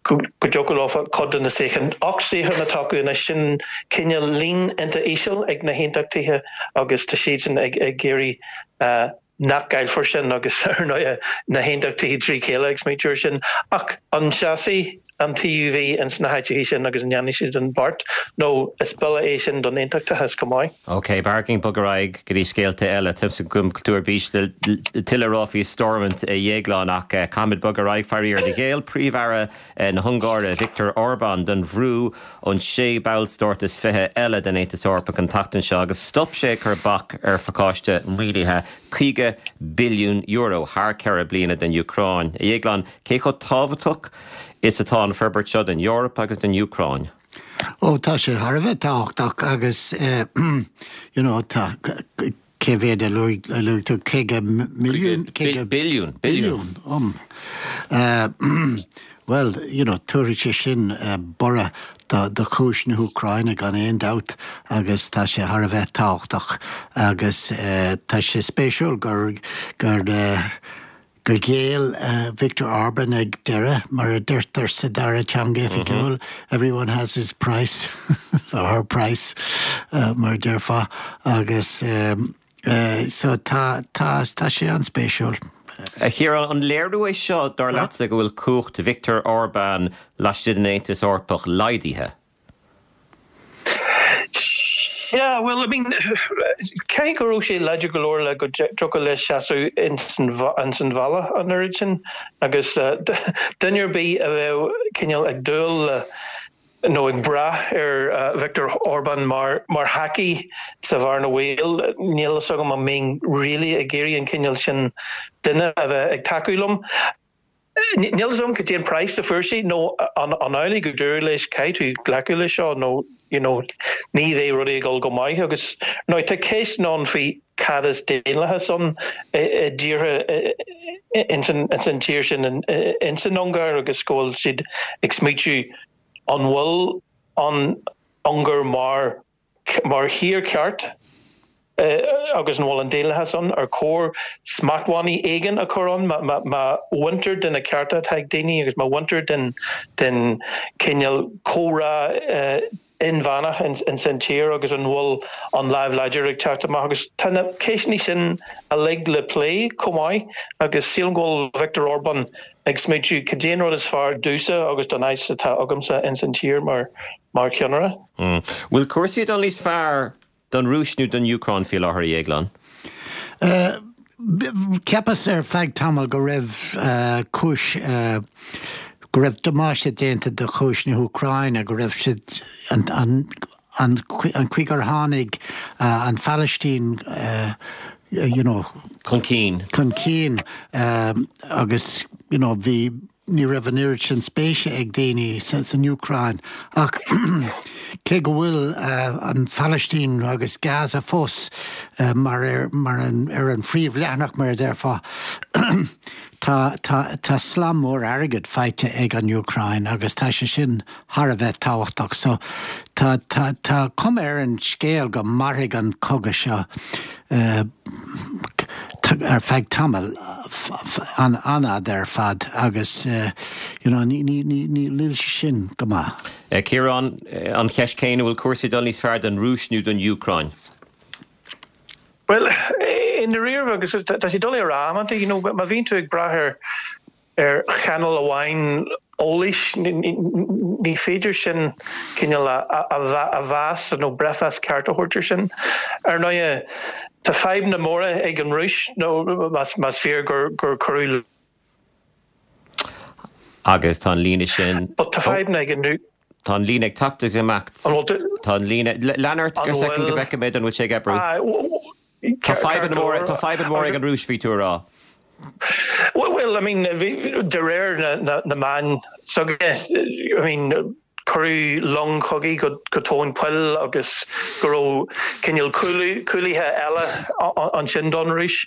go dtiocfadh leofa cuid de na suíocháin, ocht suíochán atá acu anois, sin cineál líon iontach íseal ag na haontachtaithe agus tá siadsan ag iarraidh nach gcaillfear sin agus ar ndóigh na haontachtaithe trí chéile ag smaointiú air sin. Ach an seasfaidh an T U V ins na háiteacha sin agus an ndéanfaidh siad an beart nó is buille é sin don aontachtachas chomh maith. Ok, b'fhearr bogadh ar aghaidh go dtí scéalta eile. Tá's agam go bhfuil tú ar bís le tuilleadh a rá faoi Stormont, a Dhéagláin, ach caithfimid bogadh ar aghaidh, faraor. Ghéill Príomh-Aire na hUngáire Viktor Orbán don bhrú ón sé ballstát is fiche eile den Aontas Eorpach an tseachtain seo agus stop sé ag cur bac ar phacáiste maoinithe caoga billiún euro thar ceithre bliana don Úcráin. A Dhéagláin, cé chomh tábhachtach is atá an forbairt seo don Eoraip agus don Úcráin? Ó, tá sé thar a bheith tábhachtach agus you know, tá cé mhéad a luaigh tú, caoga milliún? Billiún. Billiún um. Uh, well, you know, tabharfaidh sé sin uh, borradh do, do chúis na hÚcráine gan aon dabht agus tá sé thar a bheith tábhachtach agus uh, tá sé spéisiúil gur gur uh, gur ghéill uh, Viktor Orban ag deireadh, mar a deirtear sa dara teanga oifigiúil, mm -hmm. Everyone has his price or her price, uh, mar déarfá, agus um, uh, so tá tá tá sé an-spéisiúil. A Chiaráin, an léiriú é seo dar leatsa go bhfuil cumhacht Viktor Orban laistigh den Aontas Eorpach laghdaithe? Yeah, well, I mean, cé go raibh sé láidir go leor le go dtiocfadh leis seasamh ins an bhalla an oiread sin agus duine ar bith a bheadh cineál ag dúil le nó ag brath ar uh, Viktor Orban mar mar thacaí sa bhearna bhaoil, níl a fhios agam an mbeinn really ag iarraidh an cineál sin duine a bheith ag tacú liom. Níl a fhios agam cad é an praghas a fuair sé nó an amhlaidh go dúradh leis caithfidh tú glacadh leis seo nó you know, ní bheidh rudaí ag dul go maith agus nó tá ceist ann faoi cad is daonlathas ann i dtíortha ins an tír sin ins an Ungáir agus go bhfuil siad ag smaoitiú an bhfuil an Ungáir mar mar thír ceart agus an bhfuil an daonlathas ann, ar chóir smachtbhannaí éigin a chur ann má bhaintear de na cearta atá ag daoine agus má bhaintear den den cineál comhrá inmheánach ins an tír agus an bhfuil an lámh láidir ag teacht amach agus tá na ceisteanna sin uilig le plé chomh maith agus sílim go bhfuil Viktor Orban ag smaoitiú cad é an rud is fearr domhsa agus don áit atá agamsa ins an tír mar mar cheannaire. Mm. Bhfuil cúrsaí ag dul níos fearr don Rúis nó don Úcráin faoi láthair, a Dhéagláin? Uh, Cheapas ar feadh tamall go raibh uh, cúis uh, go raibh damáiste déanta do chúis na hÚcráine, go raibh siad an, an, an, an chaoi gur tháinig uh, an Phalaistín uh, you know, chun cinn. Chun cinn um, agus you know, bhí ní raibh an oiread sin spéise ag daoine san san Úcráin ach cé go bhfuil uh, an Phalaistín agus Gaza fós uh, mar ar, mar an, ar an phríomhleathanach, mar a déarfá, Tá, tá, tá slám mór airgid faighte ag an Úcráin agus tá sé sin thar a bheith tábhachtach, so tá, tá, tá cuma ar an scéal go mairfidh an cogadh seo uh, ar feadh tamall an an-fhada ar fad agus uh, you know, ní, ní, ní, ní níl sé sin go maith. Uh, Ciarán, an cheist chéanna, bhfuil cúrsaí dul níos fearr don Rúis nó don Úcráin? Well, i ndáiríre agus tá sé doiligh a rá, you know, má bhíonn tú ag brath ar ar chainéal amháin eolais, ní féidir sin cineál a mheas nó breithmheas ceart a thabhairt sin. Ar ndóigh, tá fadhbanna móra ag an Rúis nó más fíor gur gur cuireadh Agus tá an líne sin But tá fadhbanna ag an Tá an líne ag teacht amach. Tá an líne lean ort go second go bhfeicfidh mé an bhfuil sé ag oibriú. Tá fadhbanna móra tá fadhbanna móra ag an Rúis, bhí tú ag rá. Well, well, I mean, de réir na, na, na meán s'againne, I mean, cuireadh long chogaidh go, go tóin poill agus go raibh cineál cúlaithe eile ansin don Rúis.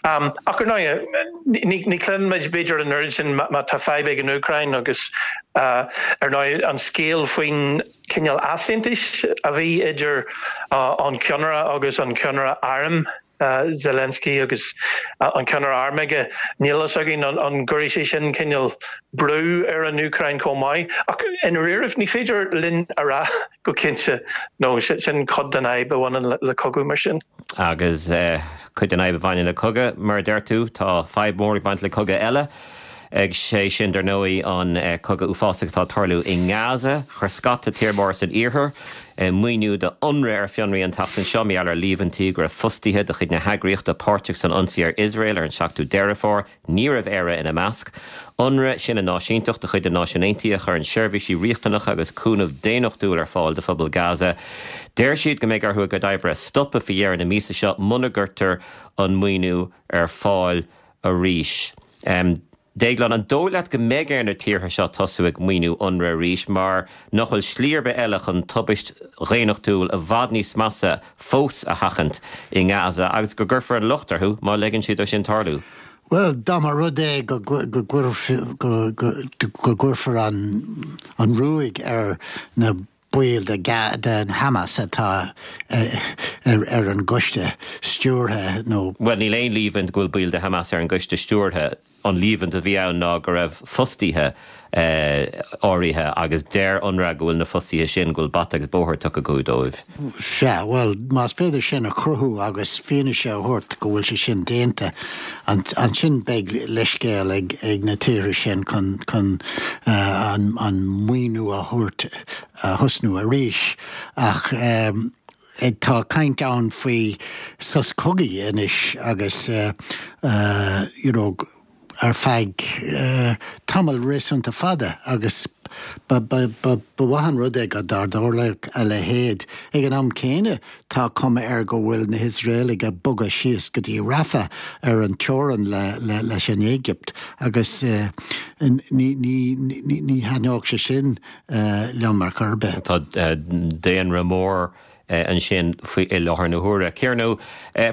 Um, ach ar ndóigh, ní, ní chluinimid b'fhéidir an oiread sin má tá fadhb ag an Úcráin agus uh, ar ndóigh an scéal faoin cineál easaontais a bhí idir uh, an ceannaire agus an ceannaire airm uh, Zelensky agus uh, an ceannaire airm aige, níl a fhios againn an, an gcuirfidh sé sin cineál brú ar an Úcráin chomh maith. Ach i ndáiríre ní féidir linn a rá go cinnte nó sin cuid den fhadhb a bhaineann le, le cogadh mar sin. Agus uh, cuid den fhadhb a bhaineann le cogadh, mar deir tú, tá fadhb mór ag baint le cogadh eile. Ag sé sin dar ndóigh an cogadh uafásach atá ag tarlú i nGaza. Chuir scata tír mór san iarthar maoiniú do UNRWA ar fionraí an tseachtain seo mar gheall ar líomhaintí go raibh fostaithe de chuid na heagraíochta páirteach san ionsaí ar Iosrael ar an seachtú Deireadh Fómhair. Ní raibh Éire ina measc. UNRWA sin an náisiúntacht de chuid na Náisiún Aontaithe a chuireann seirbhísí riachtanacha agus cúnamh daonnachtúil ar fáil do phobal Gaza. Deir siad go mbeidh orthu a gcuid oibre a stopadh faoi dheireadh na míosa seo muna gcuirtear an maoiniú ar fáil arís. Déaglán, an dóigh leat go mbeidh ar na tíortha seo tosú ag maoiniú UNRWA arís mar nach bhfuil slí ar bith eile chun tubaist dhaonnachtúil i bhfad níos measa fós a sheachaint i nGaza agus go gcuirfear an locht orthu má ligeann siad dó sin tarlú? Bhuel, dá mba rud é go gcuirfear an ruaig ar na baill den Hamas atá ar an gcoiste stiúrtha nó. Bhuel, níl aon líomhaint go bhfuil baill de Hamas ar an gcoiste stiúrtha. An líomhaint a bhí ann ná go raibh fostaithe áirithe agus deir UNRWA go bhfuil na fostaithe sin, go bhfuil bata agus bóthar tugtha acu dóibh. Sea, bhuel, más féidir sin a chruthú agus fianaise a thabhairt go bhfuil sé sin déanta, ansin beidh leithscéal ag na tíortha sin chun an maoiniú a thabhairt, a thosnú arís. Ach tá caint ann faoi sos cogaidh anois agus you know, ar feadh tamall réasúnta fada agus ba mhaith an rud é go dtarlódh a leithéid. Ag an am céanna, tá cuma air go bhfuil na hIosraelaigh ag bogadh síos go dtí Rafah ar an teorainn leis an Éigipt agus ní thaitneodh sé sin liom ar chor ar bith. Tá daonra mór ansin faoi i láthair na huaire. Ciarán Ó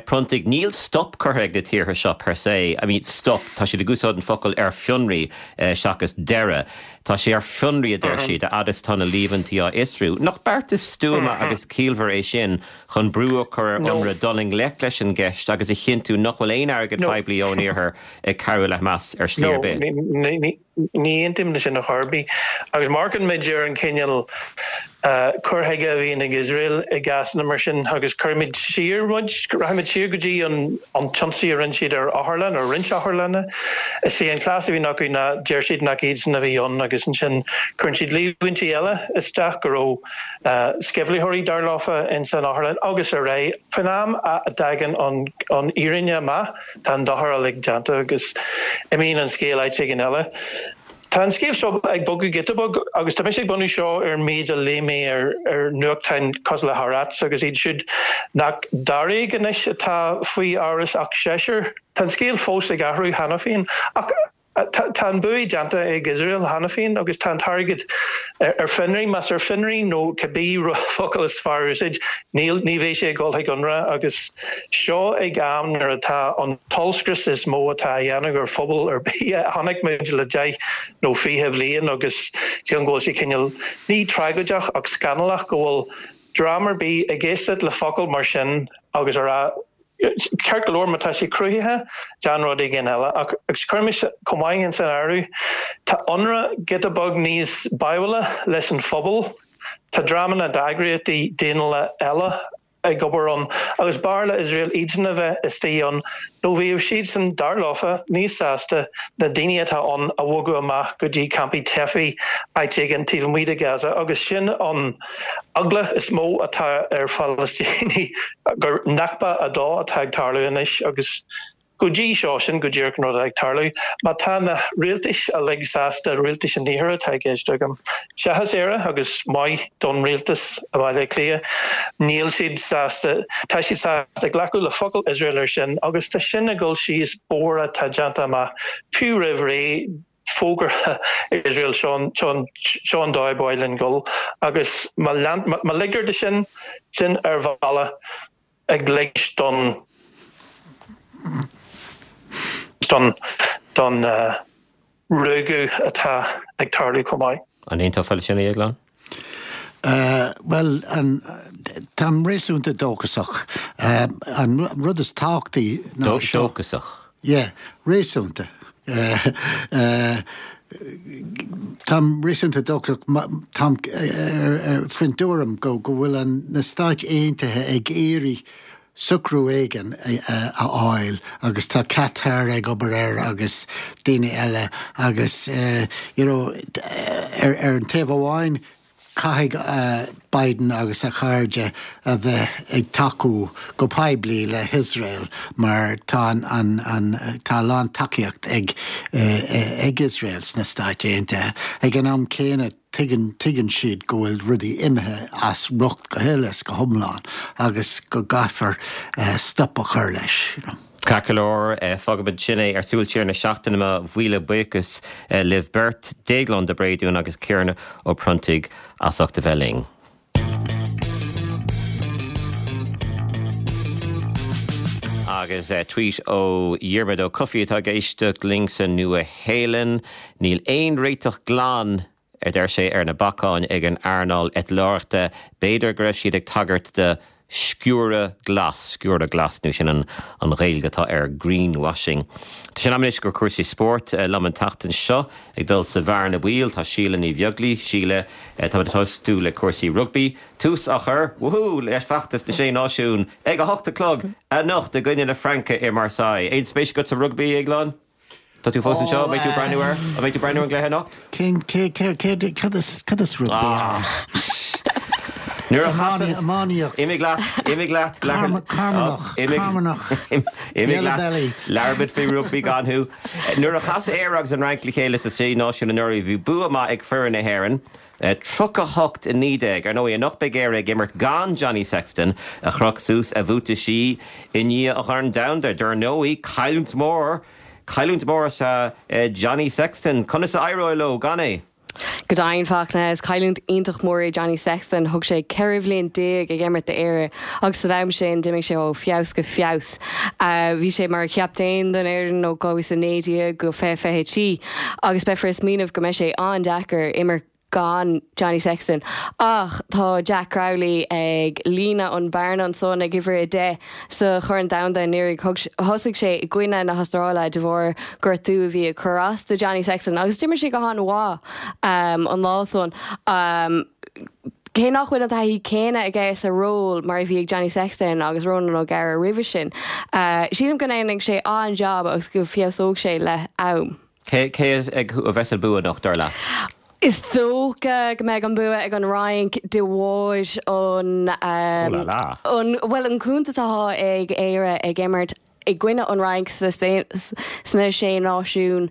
Pronntaigh, níl stop curtha ag na tíortha seo per se, I mean stop, tá siad ag úsáid an focal ar fionraí seachas deireadh. Tá sé ar fionraí a deir siad, a fhad is atá na líomhaintí á fhiosrú. Nach beartas stuama agus ciallmhar é sin chun brú a chur ar UNRWA dul i ngleic leis an gceist agus a chinntiú nach bhfuil aon airgead poiblí ón iarthar ag cabhrú le Hamas ar shlí ar bith? Ní aontaím leis sin ar chor ar bith. Agus má amharcann muid ar an chineál cur chuige a bhíonn ag Iosrael i gcásanna mar sin agus cuirfimid siar muid, rachaimid siar go dtí an t-ionsaí a rinne siad ar otharlann, ar roinnt otharlanna. Is é an cleas a bhíonn acu ná deir siad nach iadsan a bhí ann agus ansin cuireann siad líomhaintí eile isteach go raibh sceimhlitheoirí dar leofa ins an otharlann agus ar aghaidh. Faoin am a dtagann an fhírinne amach tá an dochar uilig déanta agus imíonn an scéal áit éigin eile. Tá an scéal seo ag bogadh giota beag agus tá mise ag bunú seo ar an méid a léigh mé ar ar nuachtáin cosúil le Haaretz agus iad siúd nach dáréag anois atá faoi amhras ach seisear. Tá an scéal fós ag athrú cheana féin ach tá an bua déanta ag Iosrael cheana féin agus tá an t-airgead ar fionraí, más ar fionraí nó cibé focal is fearr a úsáid, níl, ní bheidh sé ag dul chuig UNRWA agus seo ag am nuair atá an t-ollscrios is mó atá á dhéanamh ar phobal ar bith a chonaic muid le deich nó fiche bhliain agus sílim go bhfuil sé cineál, ní tragóideach ach scannalach go bhfuil dream ar bith ag éisteacht le focal mar sin agus a rá Ceart go leor, má tá sé cruthaithe, déan rud éigin eile. Ach agus cuirimis chomh maith ins an áireamh, tá UNRWA giota beag níos báúla leis an phobal. Tá dreamanna d'eagraíochtaí daonnúla eile ag obair ann agus b'fhearr le Iosrael iadsan a bheith istigh ann nó bheadh siadsan, dar leofa, níos sásta na daoine atá ann a bhogadh amach go dtí campaí teifigh áit éigin taobh amuigh de Gaza agus sin an eagla is mó atá ar Phalaistínigh gur Nakba a dó atá ag tarlú anois agus go dtí seo sin go díreach an rud atá ag tarlú. Má tá na rialtais uilig sásta, rialtais an iarthair atá i gceist agam, seachas Éire agus maith don rialtas i mBaile Átha Cliath, níl siad sásta, tá siad sásta glacadh le focal Iosrael ar sin agus tá sin ag dul síos bóthar atá déanta amach fiú roimh ré. fógartha Iosrael seo seo an dóigh ba mhaith linn dul agus má má ligtear de sin sin ar bhealach ag ligint don don don ruaigeadh atá ag tarlú chomh maith. An aontófá leis sin, a Dhéagláin? Bhuel, táim réasúnta dóchasach. An rud is tábhachtaí ná seo. Dóchasach? Yeah, réasúnta. Táim réasúnta dóchasach. Táim faoin tuairim go bhfuil na Stáit Aontaithe ag iarraidh socrú éigin a fháil agus tá Qatar ag obair air agus daoine eile agus you know ar ar an taobh amháin caithfidh Biden agus a chairde a bheith ag tacú go poiblí le hIosrael mar tá an an an tá a lán tacaíocht ag ag Iosrael sna Stáit Aontaithe. Ag an am céanna tuigeann tuigeann siad go bhfuil rudaí imithe as riocht go huile is go hiomlán agus go gcaithfear stop a chur leis. You know. Ceart go leor, fágfaimid sin é ar Súil Siar na Seachtaine. Mo mhíle buíochas libh beirt, Déaglán de Bréadún agus Ciarán Ó Pronntaigh as ucht a bheith linn. Agus tweet ó Dhiarmuid Ó Cofaigh atá ag éisteacht linn sa Nua-Shéalainn, Níl aon réiteach glan a deir sé ar na bacáin ag an earnáil eitleoireachta. B'fhéidir go raibh siad ag tagairt do sciúradh glas, sciúradh glas nó sin an an Ghaeilge atá ar greenwashing. Tá sé in am anois do chúrsaí spóirt liom an tseachtain seo ag dul sa bhearna bhaoil tá Síle Ní Bheaglaoich, Síle, táimid ag tosú le cúrsaí rugbaí. Tús á chur, woohoo, leis feachtas na Sé Náisiún ag a hocht a chlog anocht i gcoinne na Fraince i Marseille. Aon spéis agat sa rugbaí, a Dhéagláin? Tá tú fós anseo, beidh tú breathnú air? An mbeidh tú breathnú ar an gcluiche anocht? Cén, cé, cé, cé, cad is, cad is rugbaí ann? Nuair a chasann, Iománaíocht. Imigh leat, imigh leat, Carmanach, Carmanach, imigh leat, labhróimid faoi rugbaí gan thú. Nuair a chas Éire agus an Fhrainc le chéile sa Sé Náisiún anuraidh, bhí bua maith ag foireann na hÉireann. tríocha a hocht a naoi déag. Ar ndóigh, anocht beidh Éire ag imirt gan Johnny Sexton, a chroch suas a bhuataisí i ndiaidh an Chorn Domhanda. Dar ndóigh, cailliúint mhór, cailliúint mhór is ea Johnny Sexton. Conas a éireoidh leo gan é? Go deimhin, Fachtna, is cailliúint iontach mór é Johnny Sexton. Thug sé ceithre bhliain déag ag imirt d'Éire agus san am sin d'imigh sé ó feabhas go feabhas. Bhí sé mar chaptaen don fhoireann ó dhá mhíle is a naoi déag go fiche fiche trí agus beifear ag smaoineamh go mbeidh sé an-deacair imirt gan Johnny Sexton. Ach tá Jack Crowley ag líonadh an bearna ansan ag uimhir a deich sa Chorn Domhanda anuraidh. Thosaigh sé i gcoinne na hAstráile de bharr gortú a bhí ag cur as do Johnny Sexton agus d'imir sé go han-mhaith an lá san. Cé nach bhfuil an taithí céanna aige sa ról mar a bhí ag Johnny Sexton agus Ronan O'Gara roimhe sin, sílim go ndéanfaidh sé an-jab agus go feabhsóidh sé le am. Cé a bheas an bua anocht, dar leat? Is dócha go mbeidh an bua ag an Fhrainc de bharr an an bhuel an cuntas atá ag Éire ag imirt i gcoinne an Fhrainc sna Sé Náisiún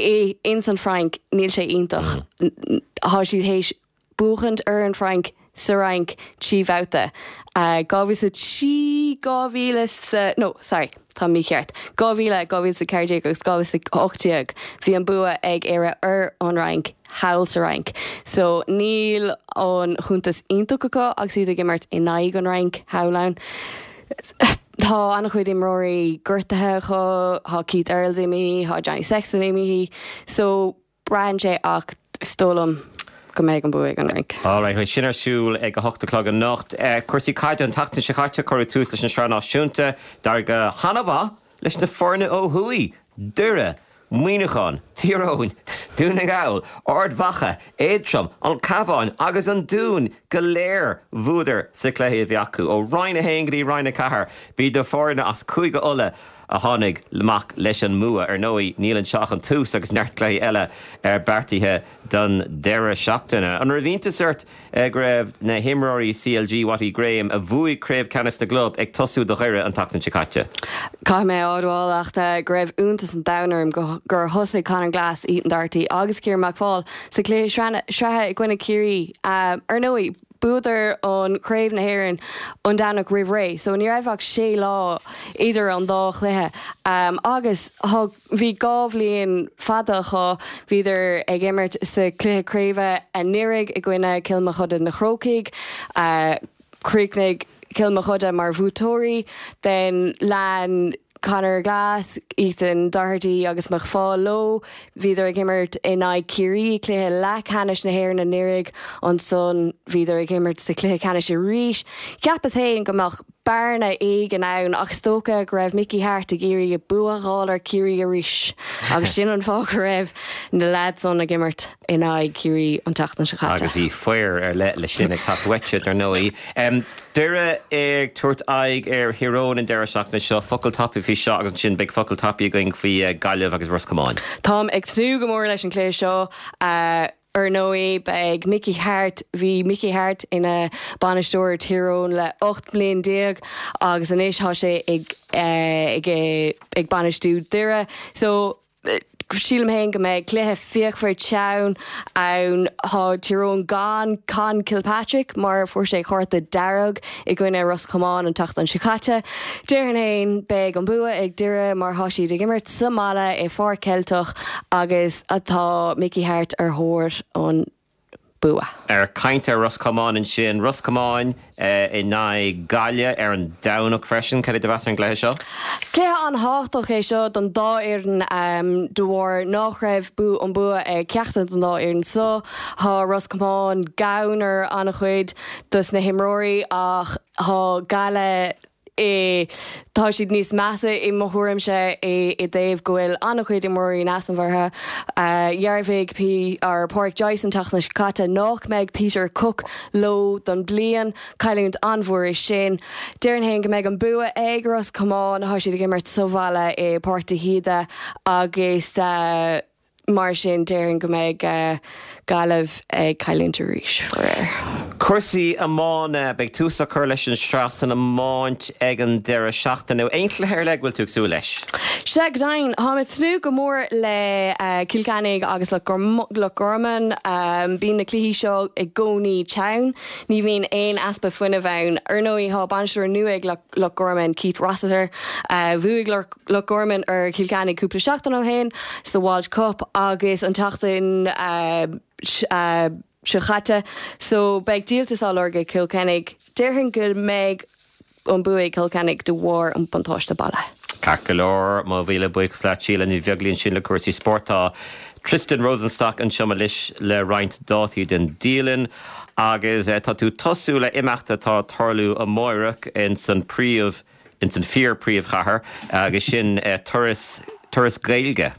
i ins an Fhrainc níl sé iontach. Tá siad théis buachaint ar an Fhrainc sa Fhrainc trí bhabhta. Dhá mhíle is a trí, dhá mhíle is a, no, sorry, tá mícheart, dhá mhíle, dhá mhíle is a ceathair déag agus dhá mhíle is a hocht déag bhí an bua ag Éire ar an Fhrainc thall sa Fhrainc. So níl an chuntas iontach acu agus iad ag imirt in aghaidh an Fhrainc thall ann. Tá an-chuid imreoirí gortaithe acu, tá Keith Earls imithe, tá Johnny Sexton imithe, so braitheann sé ach is dóigh liom go mbeidh an bua ag an Fhrainc. Alright, beidh sin ar siúl ag a hocht a chlog anocht. Cúrsaí caide an tseachtain seo caite cuireadh tús leis an Sraith Náisiúnta. D'éirigh go han-mhaith leis na foirne ó thuaidh, Doire, Muineachán, Tír Eoghain, Dún na nGall, Ard Mhacha, Aontroim, An Cabhán agus an Dún go léir bhuadar sa chluiche a bhí acu. Ó Roinn a haon go dtí Roinn a ceathair, b'iad na foirne as Cúige Uladh a tháinig amach leis an mbua. Ar ndóigh, níl anseo ach an tús agus neart cluichí eile beartaithe don deireadh seachtaine. An raibh iontas ort go raibh na himreoirí CLG Watty Graham, a bhuaigh Craobh Ceannais na gClub, ag tosú do Dhoire an tseachtain seo caite? Caithfidh mé a admháil ach go raibh iontas an domhain orm gur thosaigh Conor Glass, Ethan Doherty agus Ciarán McFaul sa chluiche sraithe i gcoinne Ciarraí. Ar ndóigh, Bhuadar an Craobh na hÉireann an Domhnach roimh ré so ní raibh ach sé lá idir an dá chluiche agus bhí dhá bhliain fada acu, bhíodar ag imirt sa chluiche craoibhe anuraidh i gcoinne Cill Mochuda na Crócaigh, chríochnaigh Cill Mochuda mar bhuaiteoirí, then lean Conor Glass, Ethan Doherty agus McFaul leo. Bhíodar ag imirt in aghaidh Ciarraí i gcluiche leathcheannais na hÉireann anuraidh. Ansan bhíodar ag imirt sa chluiche ceannais arís. Cheapas féin go mbeadh bearna éigin ann ach is dócha go raibh Mickey Harte ag iarraidh bua a fháil ar Ciarraí arís agus sin an fáth go raibh na lads san ag imirt in aghaidh Ciarraí an tseachtain seo caite. Agus bhí fir ar leith leis sin ag teacht uait ar ndóigh. Um, Doire ag tabhairt aghaidh ar Thír Eoghain an deireadh seachtaine seo focal tapaidh faoi seo agus ansin beidh focal tapaidh againn faoi uh, Gaillimh agus Ros Comáin. Táim ag tnúth go mór leis an cluiche seo. Uh, Ar ndóigh beidh Mickey Harte bhí Mickey Harte ina bhainisteoir Tír Eoghain le ocht mbliain déag agus anois tá sé ag eh, ag eh, ag bainistiú Doire. So eh, sílim féin go mbeidh cluiche fíochmhar teann ann tá Tír Eoghain gan Conn Kilpatrick mar fuair sé cárta dearg i gcoinne Ros Comáin an tseachtain seo caite. Déarfainn féin beidh an bua ag Doire mar tá siad ag imirt sa mbaile i Pháirc Cheilteach agus atá Mickey Harte ar thóir an bua. Ar caint ar Ros Comáin ansin Ros Comáin eh, in aghaidh Gaillimh ar an Domhnach freisin cad é do mheas ar an gcluiche seo? Cluiche an-tábhachtach é seo don dá fhoireann um, de bharr nach raibh bu an bua ag ceachtar den dá fhoireann so tá Ros Comáin gann ar an-chuid dos na himreoirí ach tá Gaillimh i tá siad níos measa i mo thuairimse i i dtaobh go bhfuil an-chuid imreoirí easnamhacha. Dhearbhaigh P ar Pádraic Joyce an tseachtain seo caite nach mbeidh Peter Cooke leo don bliain cailliúint an-mhór é sin. Déarfainn féin go mbeidh an bua ag Ros Comáin tá siad ag imirt sa bhaile i Páirc de hÍde agus uh, mar sin déarfainn go mbeidh uh, Gaillimh ag cailliúint arís faraor. Cúrsaí iomána beidh tús á chur leis an sraith san iomáint ag an deireadh seachtaine aon chluiche ar leith go bhfuil tú ag súil leis. Sea go deimhin táim ag tnúth go mór le uh, Cill Chainnigh agus le Loch Garman um, bíonn na cluichí seo i gcónaí teann, ní bhíonn aon easpa fuinnimh ann. Ar ndóigh tá bainisteoir nua ag Loch Garman Keith Rossiter, uh, bhuaigh Loch Garman ar Chill Chainnigh cúpla seachtain ó shin sa Walsh Cup agus an tseachtain uh, uh, seo caite, so beidh díoltas á lorg ag Cill Chainnigh. Déarfainn go mbeidh an bua ag Cill Chainnigh de bharr an buntáiste baile. Ceart go leor mo mhíle buíochas leat Síle Ní Bheaglaoí ansin le cúrsaí spóirt tá Tristan Rosenstock anseo anois le roinnt dátaí den dialann agus eh, tá tú tosú le imeacht atá ag tarlú amárach in san príomh in san fíor príomhchathair agus sin eh, turas turas Gaeilge.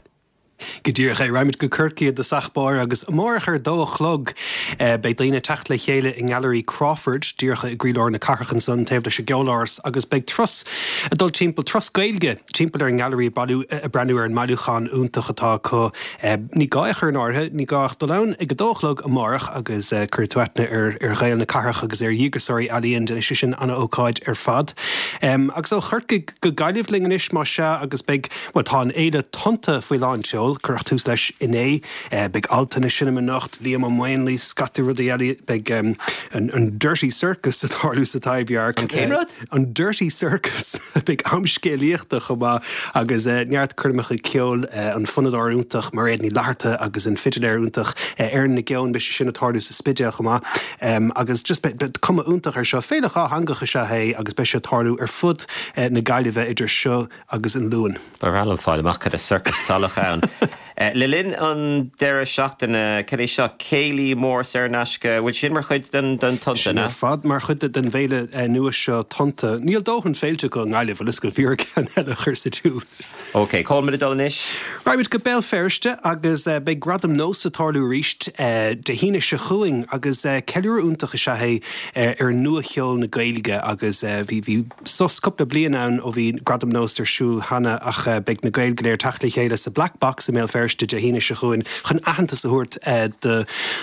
Go díreach é raghaimid go Corcaigh i dtosach báire agus amárach ar dó a chlog eh, beidh daoine teacht le chéile i nGailearaí Crawford díreach i gcroílár na cathrach ansan taobh leis an gCeoláras agus beidh turas ag dul timpeall turas Gaeilge timpeall ar an nGailearaí bailiú ag breathnú ar an mbailiúchán iontach atá acu eh, ní gá é chur in áirithe ní gá ach dul ann ag a dó a chlog amárach agus eh, cuirfidh tú aithne ar ar Ghaeil na cathrach agus ar dhíograiseoirí ealaíon déanfaidh sé sin an-ócáid ar fad. Um, agus ó Chorcaigh go Gaillimh linn anois má sea agus beidh well, tá an fhéile Tonnta faoi lán seoil cuireadh tús leis inné eh, beidh Altan ag seinm anocht Liam Ó Maonlaí scata rudaí eile beidh um, an, an Dirty Circus ag tarlú sa Taibhdhearc. An cén rud? Uh, an Dirty Circus beidh am scéalaíochta chomh maith agus uh, neart coirmeacha ceoil uh, an fonnadóir iontach Mairéad Ní Fhlatharta agus an fidiléir iontach uh, Erin Nic Gabhann beidh sé sin ag tarlú sa Spidéal chomh maith um, agus just be, be, cuma iontach ar seo féile dhátheangach is ea é agus beidh sé ag tarlú ar fud uh, na Gaillimhe idir seo agus an Luan. Ba bhreá liom fáil amach cad é circus salach ann. Eh, Le linn an deireadh seachtaine cad é seo céilí mór saor in aisce bhfuil sin mar chuid den den Tonnta Sin ar fad mar chuid den bhféile eh, nua seo Tonnta. Níl dóthain féilte go nGaillimh bhfuil go bhfíor ceann eile chur sa tsiúl. Ok, cá bhfuil muid ag dul anois? Raghaimid go Béal Feirste agus uh, beidh Gradam Nós ag tarlú arís uh, Dé hAoine seo chugainn agus uh, ceiliúradh iontach is ea é uh, ar nuacheol na Gaeilge agus uh, bhí bhí sos cúpla bliain ann ó bhí Gradam Nós ar siúl cheana ach uh, beidh na Gaeil go léir teacht le chéile sa Black Box i mBéal Feirste Dé hAoine seo chugainn chun aitheantas a thabhairt uh, do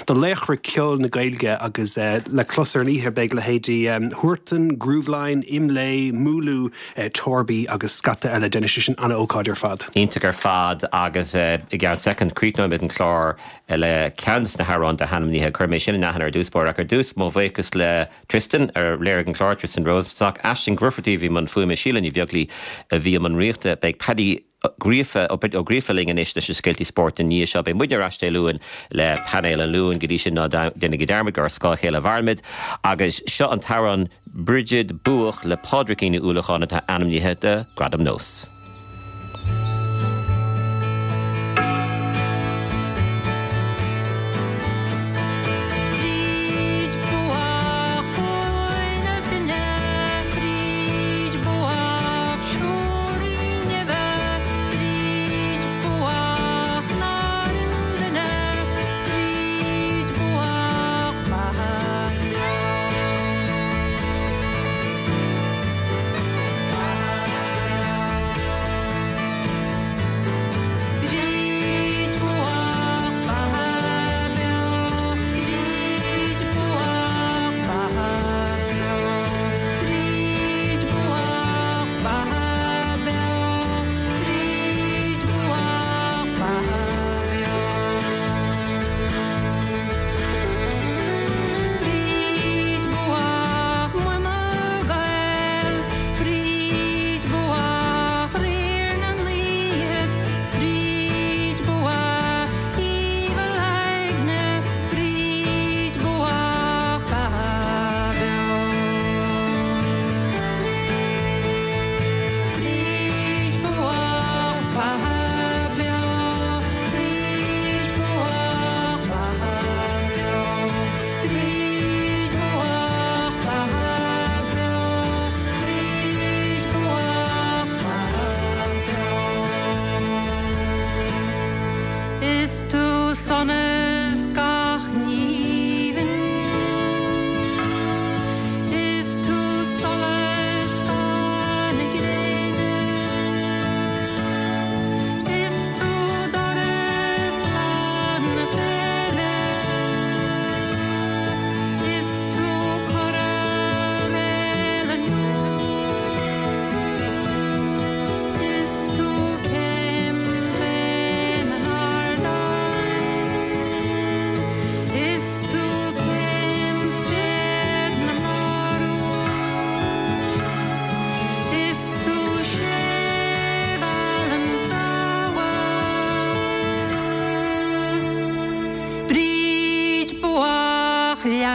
do laochra ceol na Gaeilge agus uh, le clos ar an oíche beidh leithéidí um, Huartan, Grooveline, Imlé, Múlú, uh, Torby agus scata eile déanfaidh sé sin an-ócáid ar fad. Iontach ar fad agus uh, i gceann soicind críochnóimid an clár le ceann de na hamhráin atá ainmnithe chuir mé sin in aithne ar dtús báire ach ar dtús mo bhuíochas le Tristan ar léirigh an clár Tristan Rosenstock Aisling Grufferty bhí i mbun fuaime Síle Ní Bheaglaoí a bhí i mbun ríochta beidh Paddy Gríofa ó Gríofa linn anois leis na scéalta spóirt an ní seo beidh muid ar ais Dé Luain le painéal an Luain go dtí sin ná déanaigí dearmad gur ar scáth a chéile a mhairimid agus seo an t-amhrán Bridget Buach le Pádraigín Ní Uallacháin atá ainmnithe do Gradam Nós. Bríd buach na finne Bríd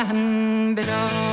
bhean breá.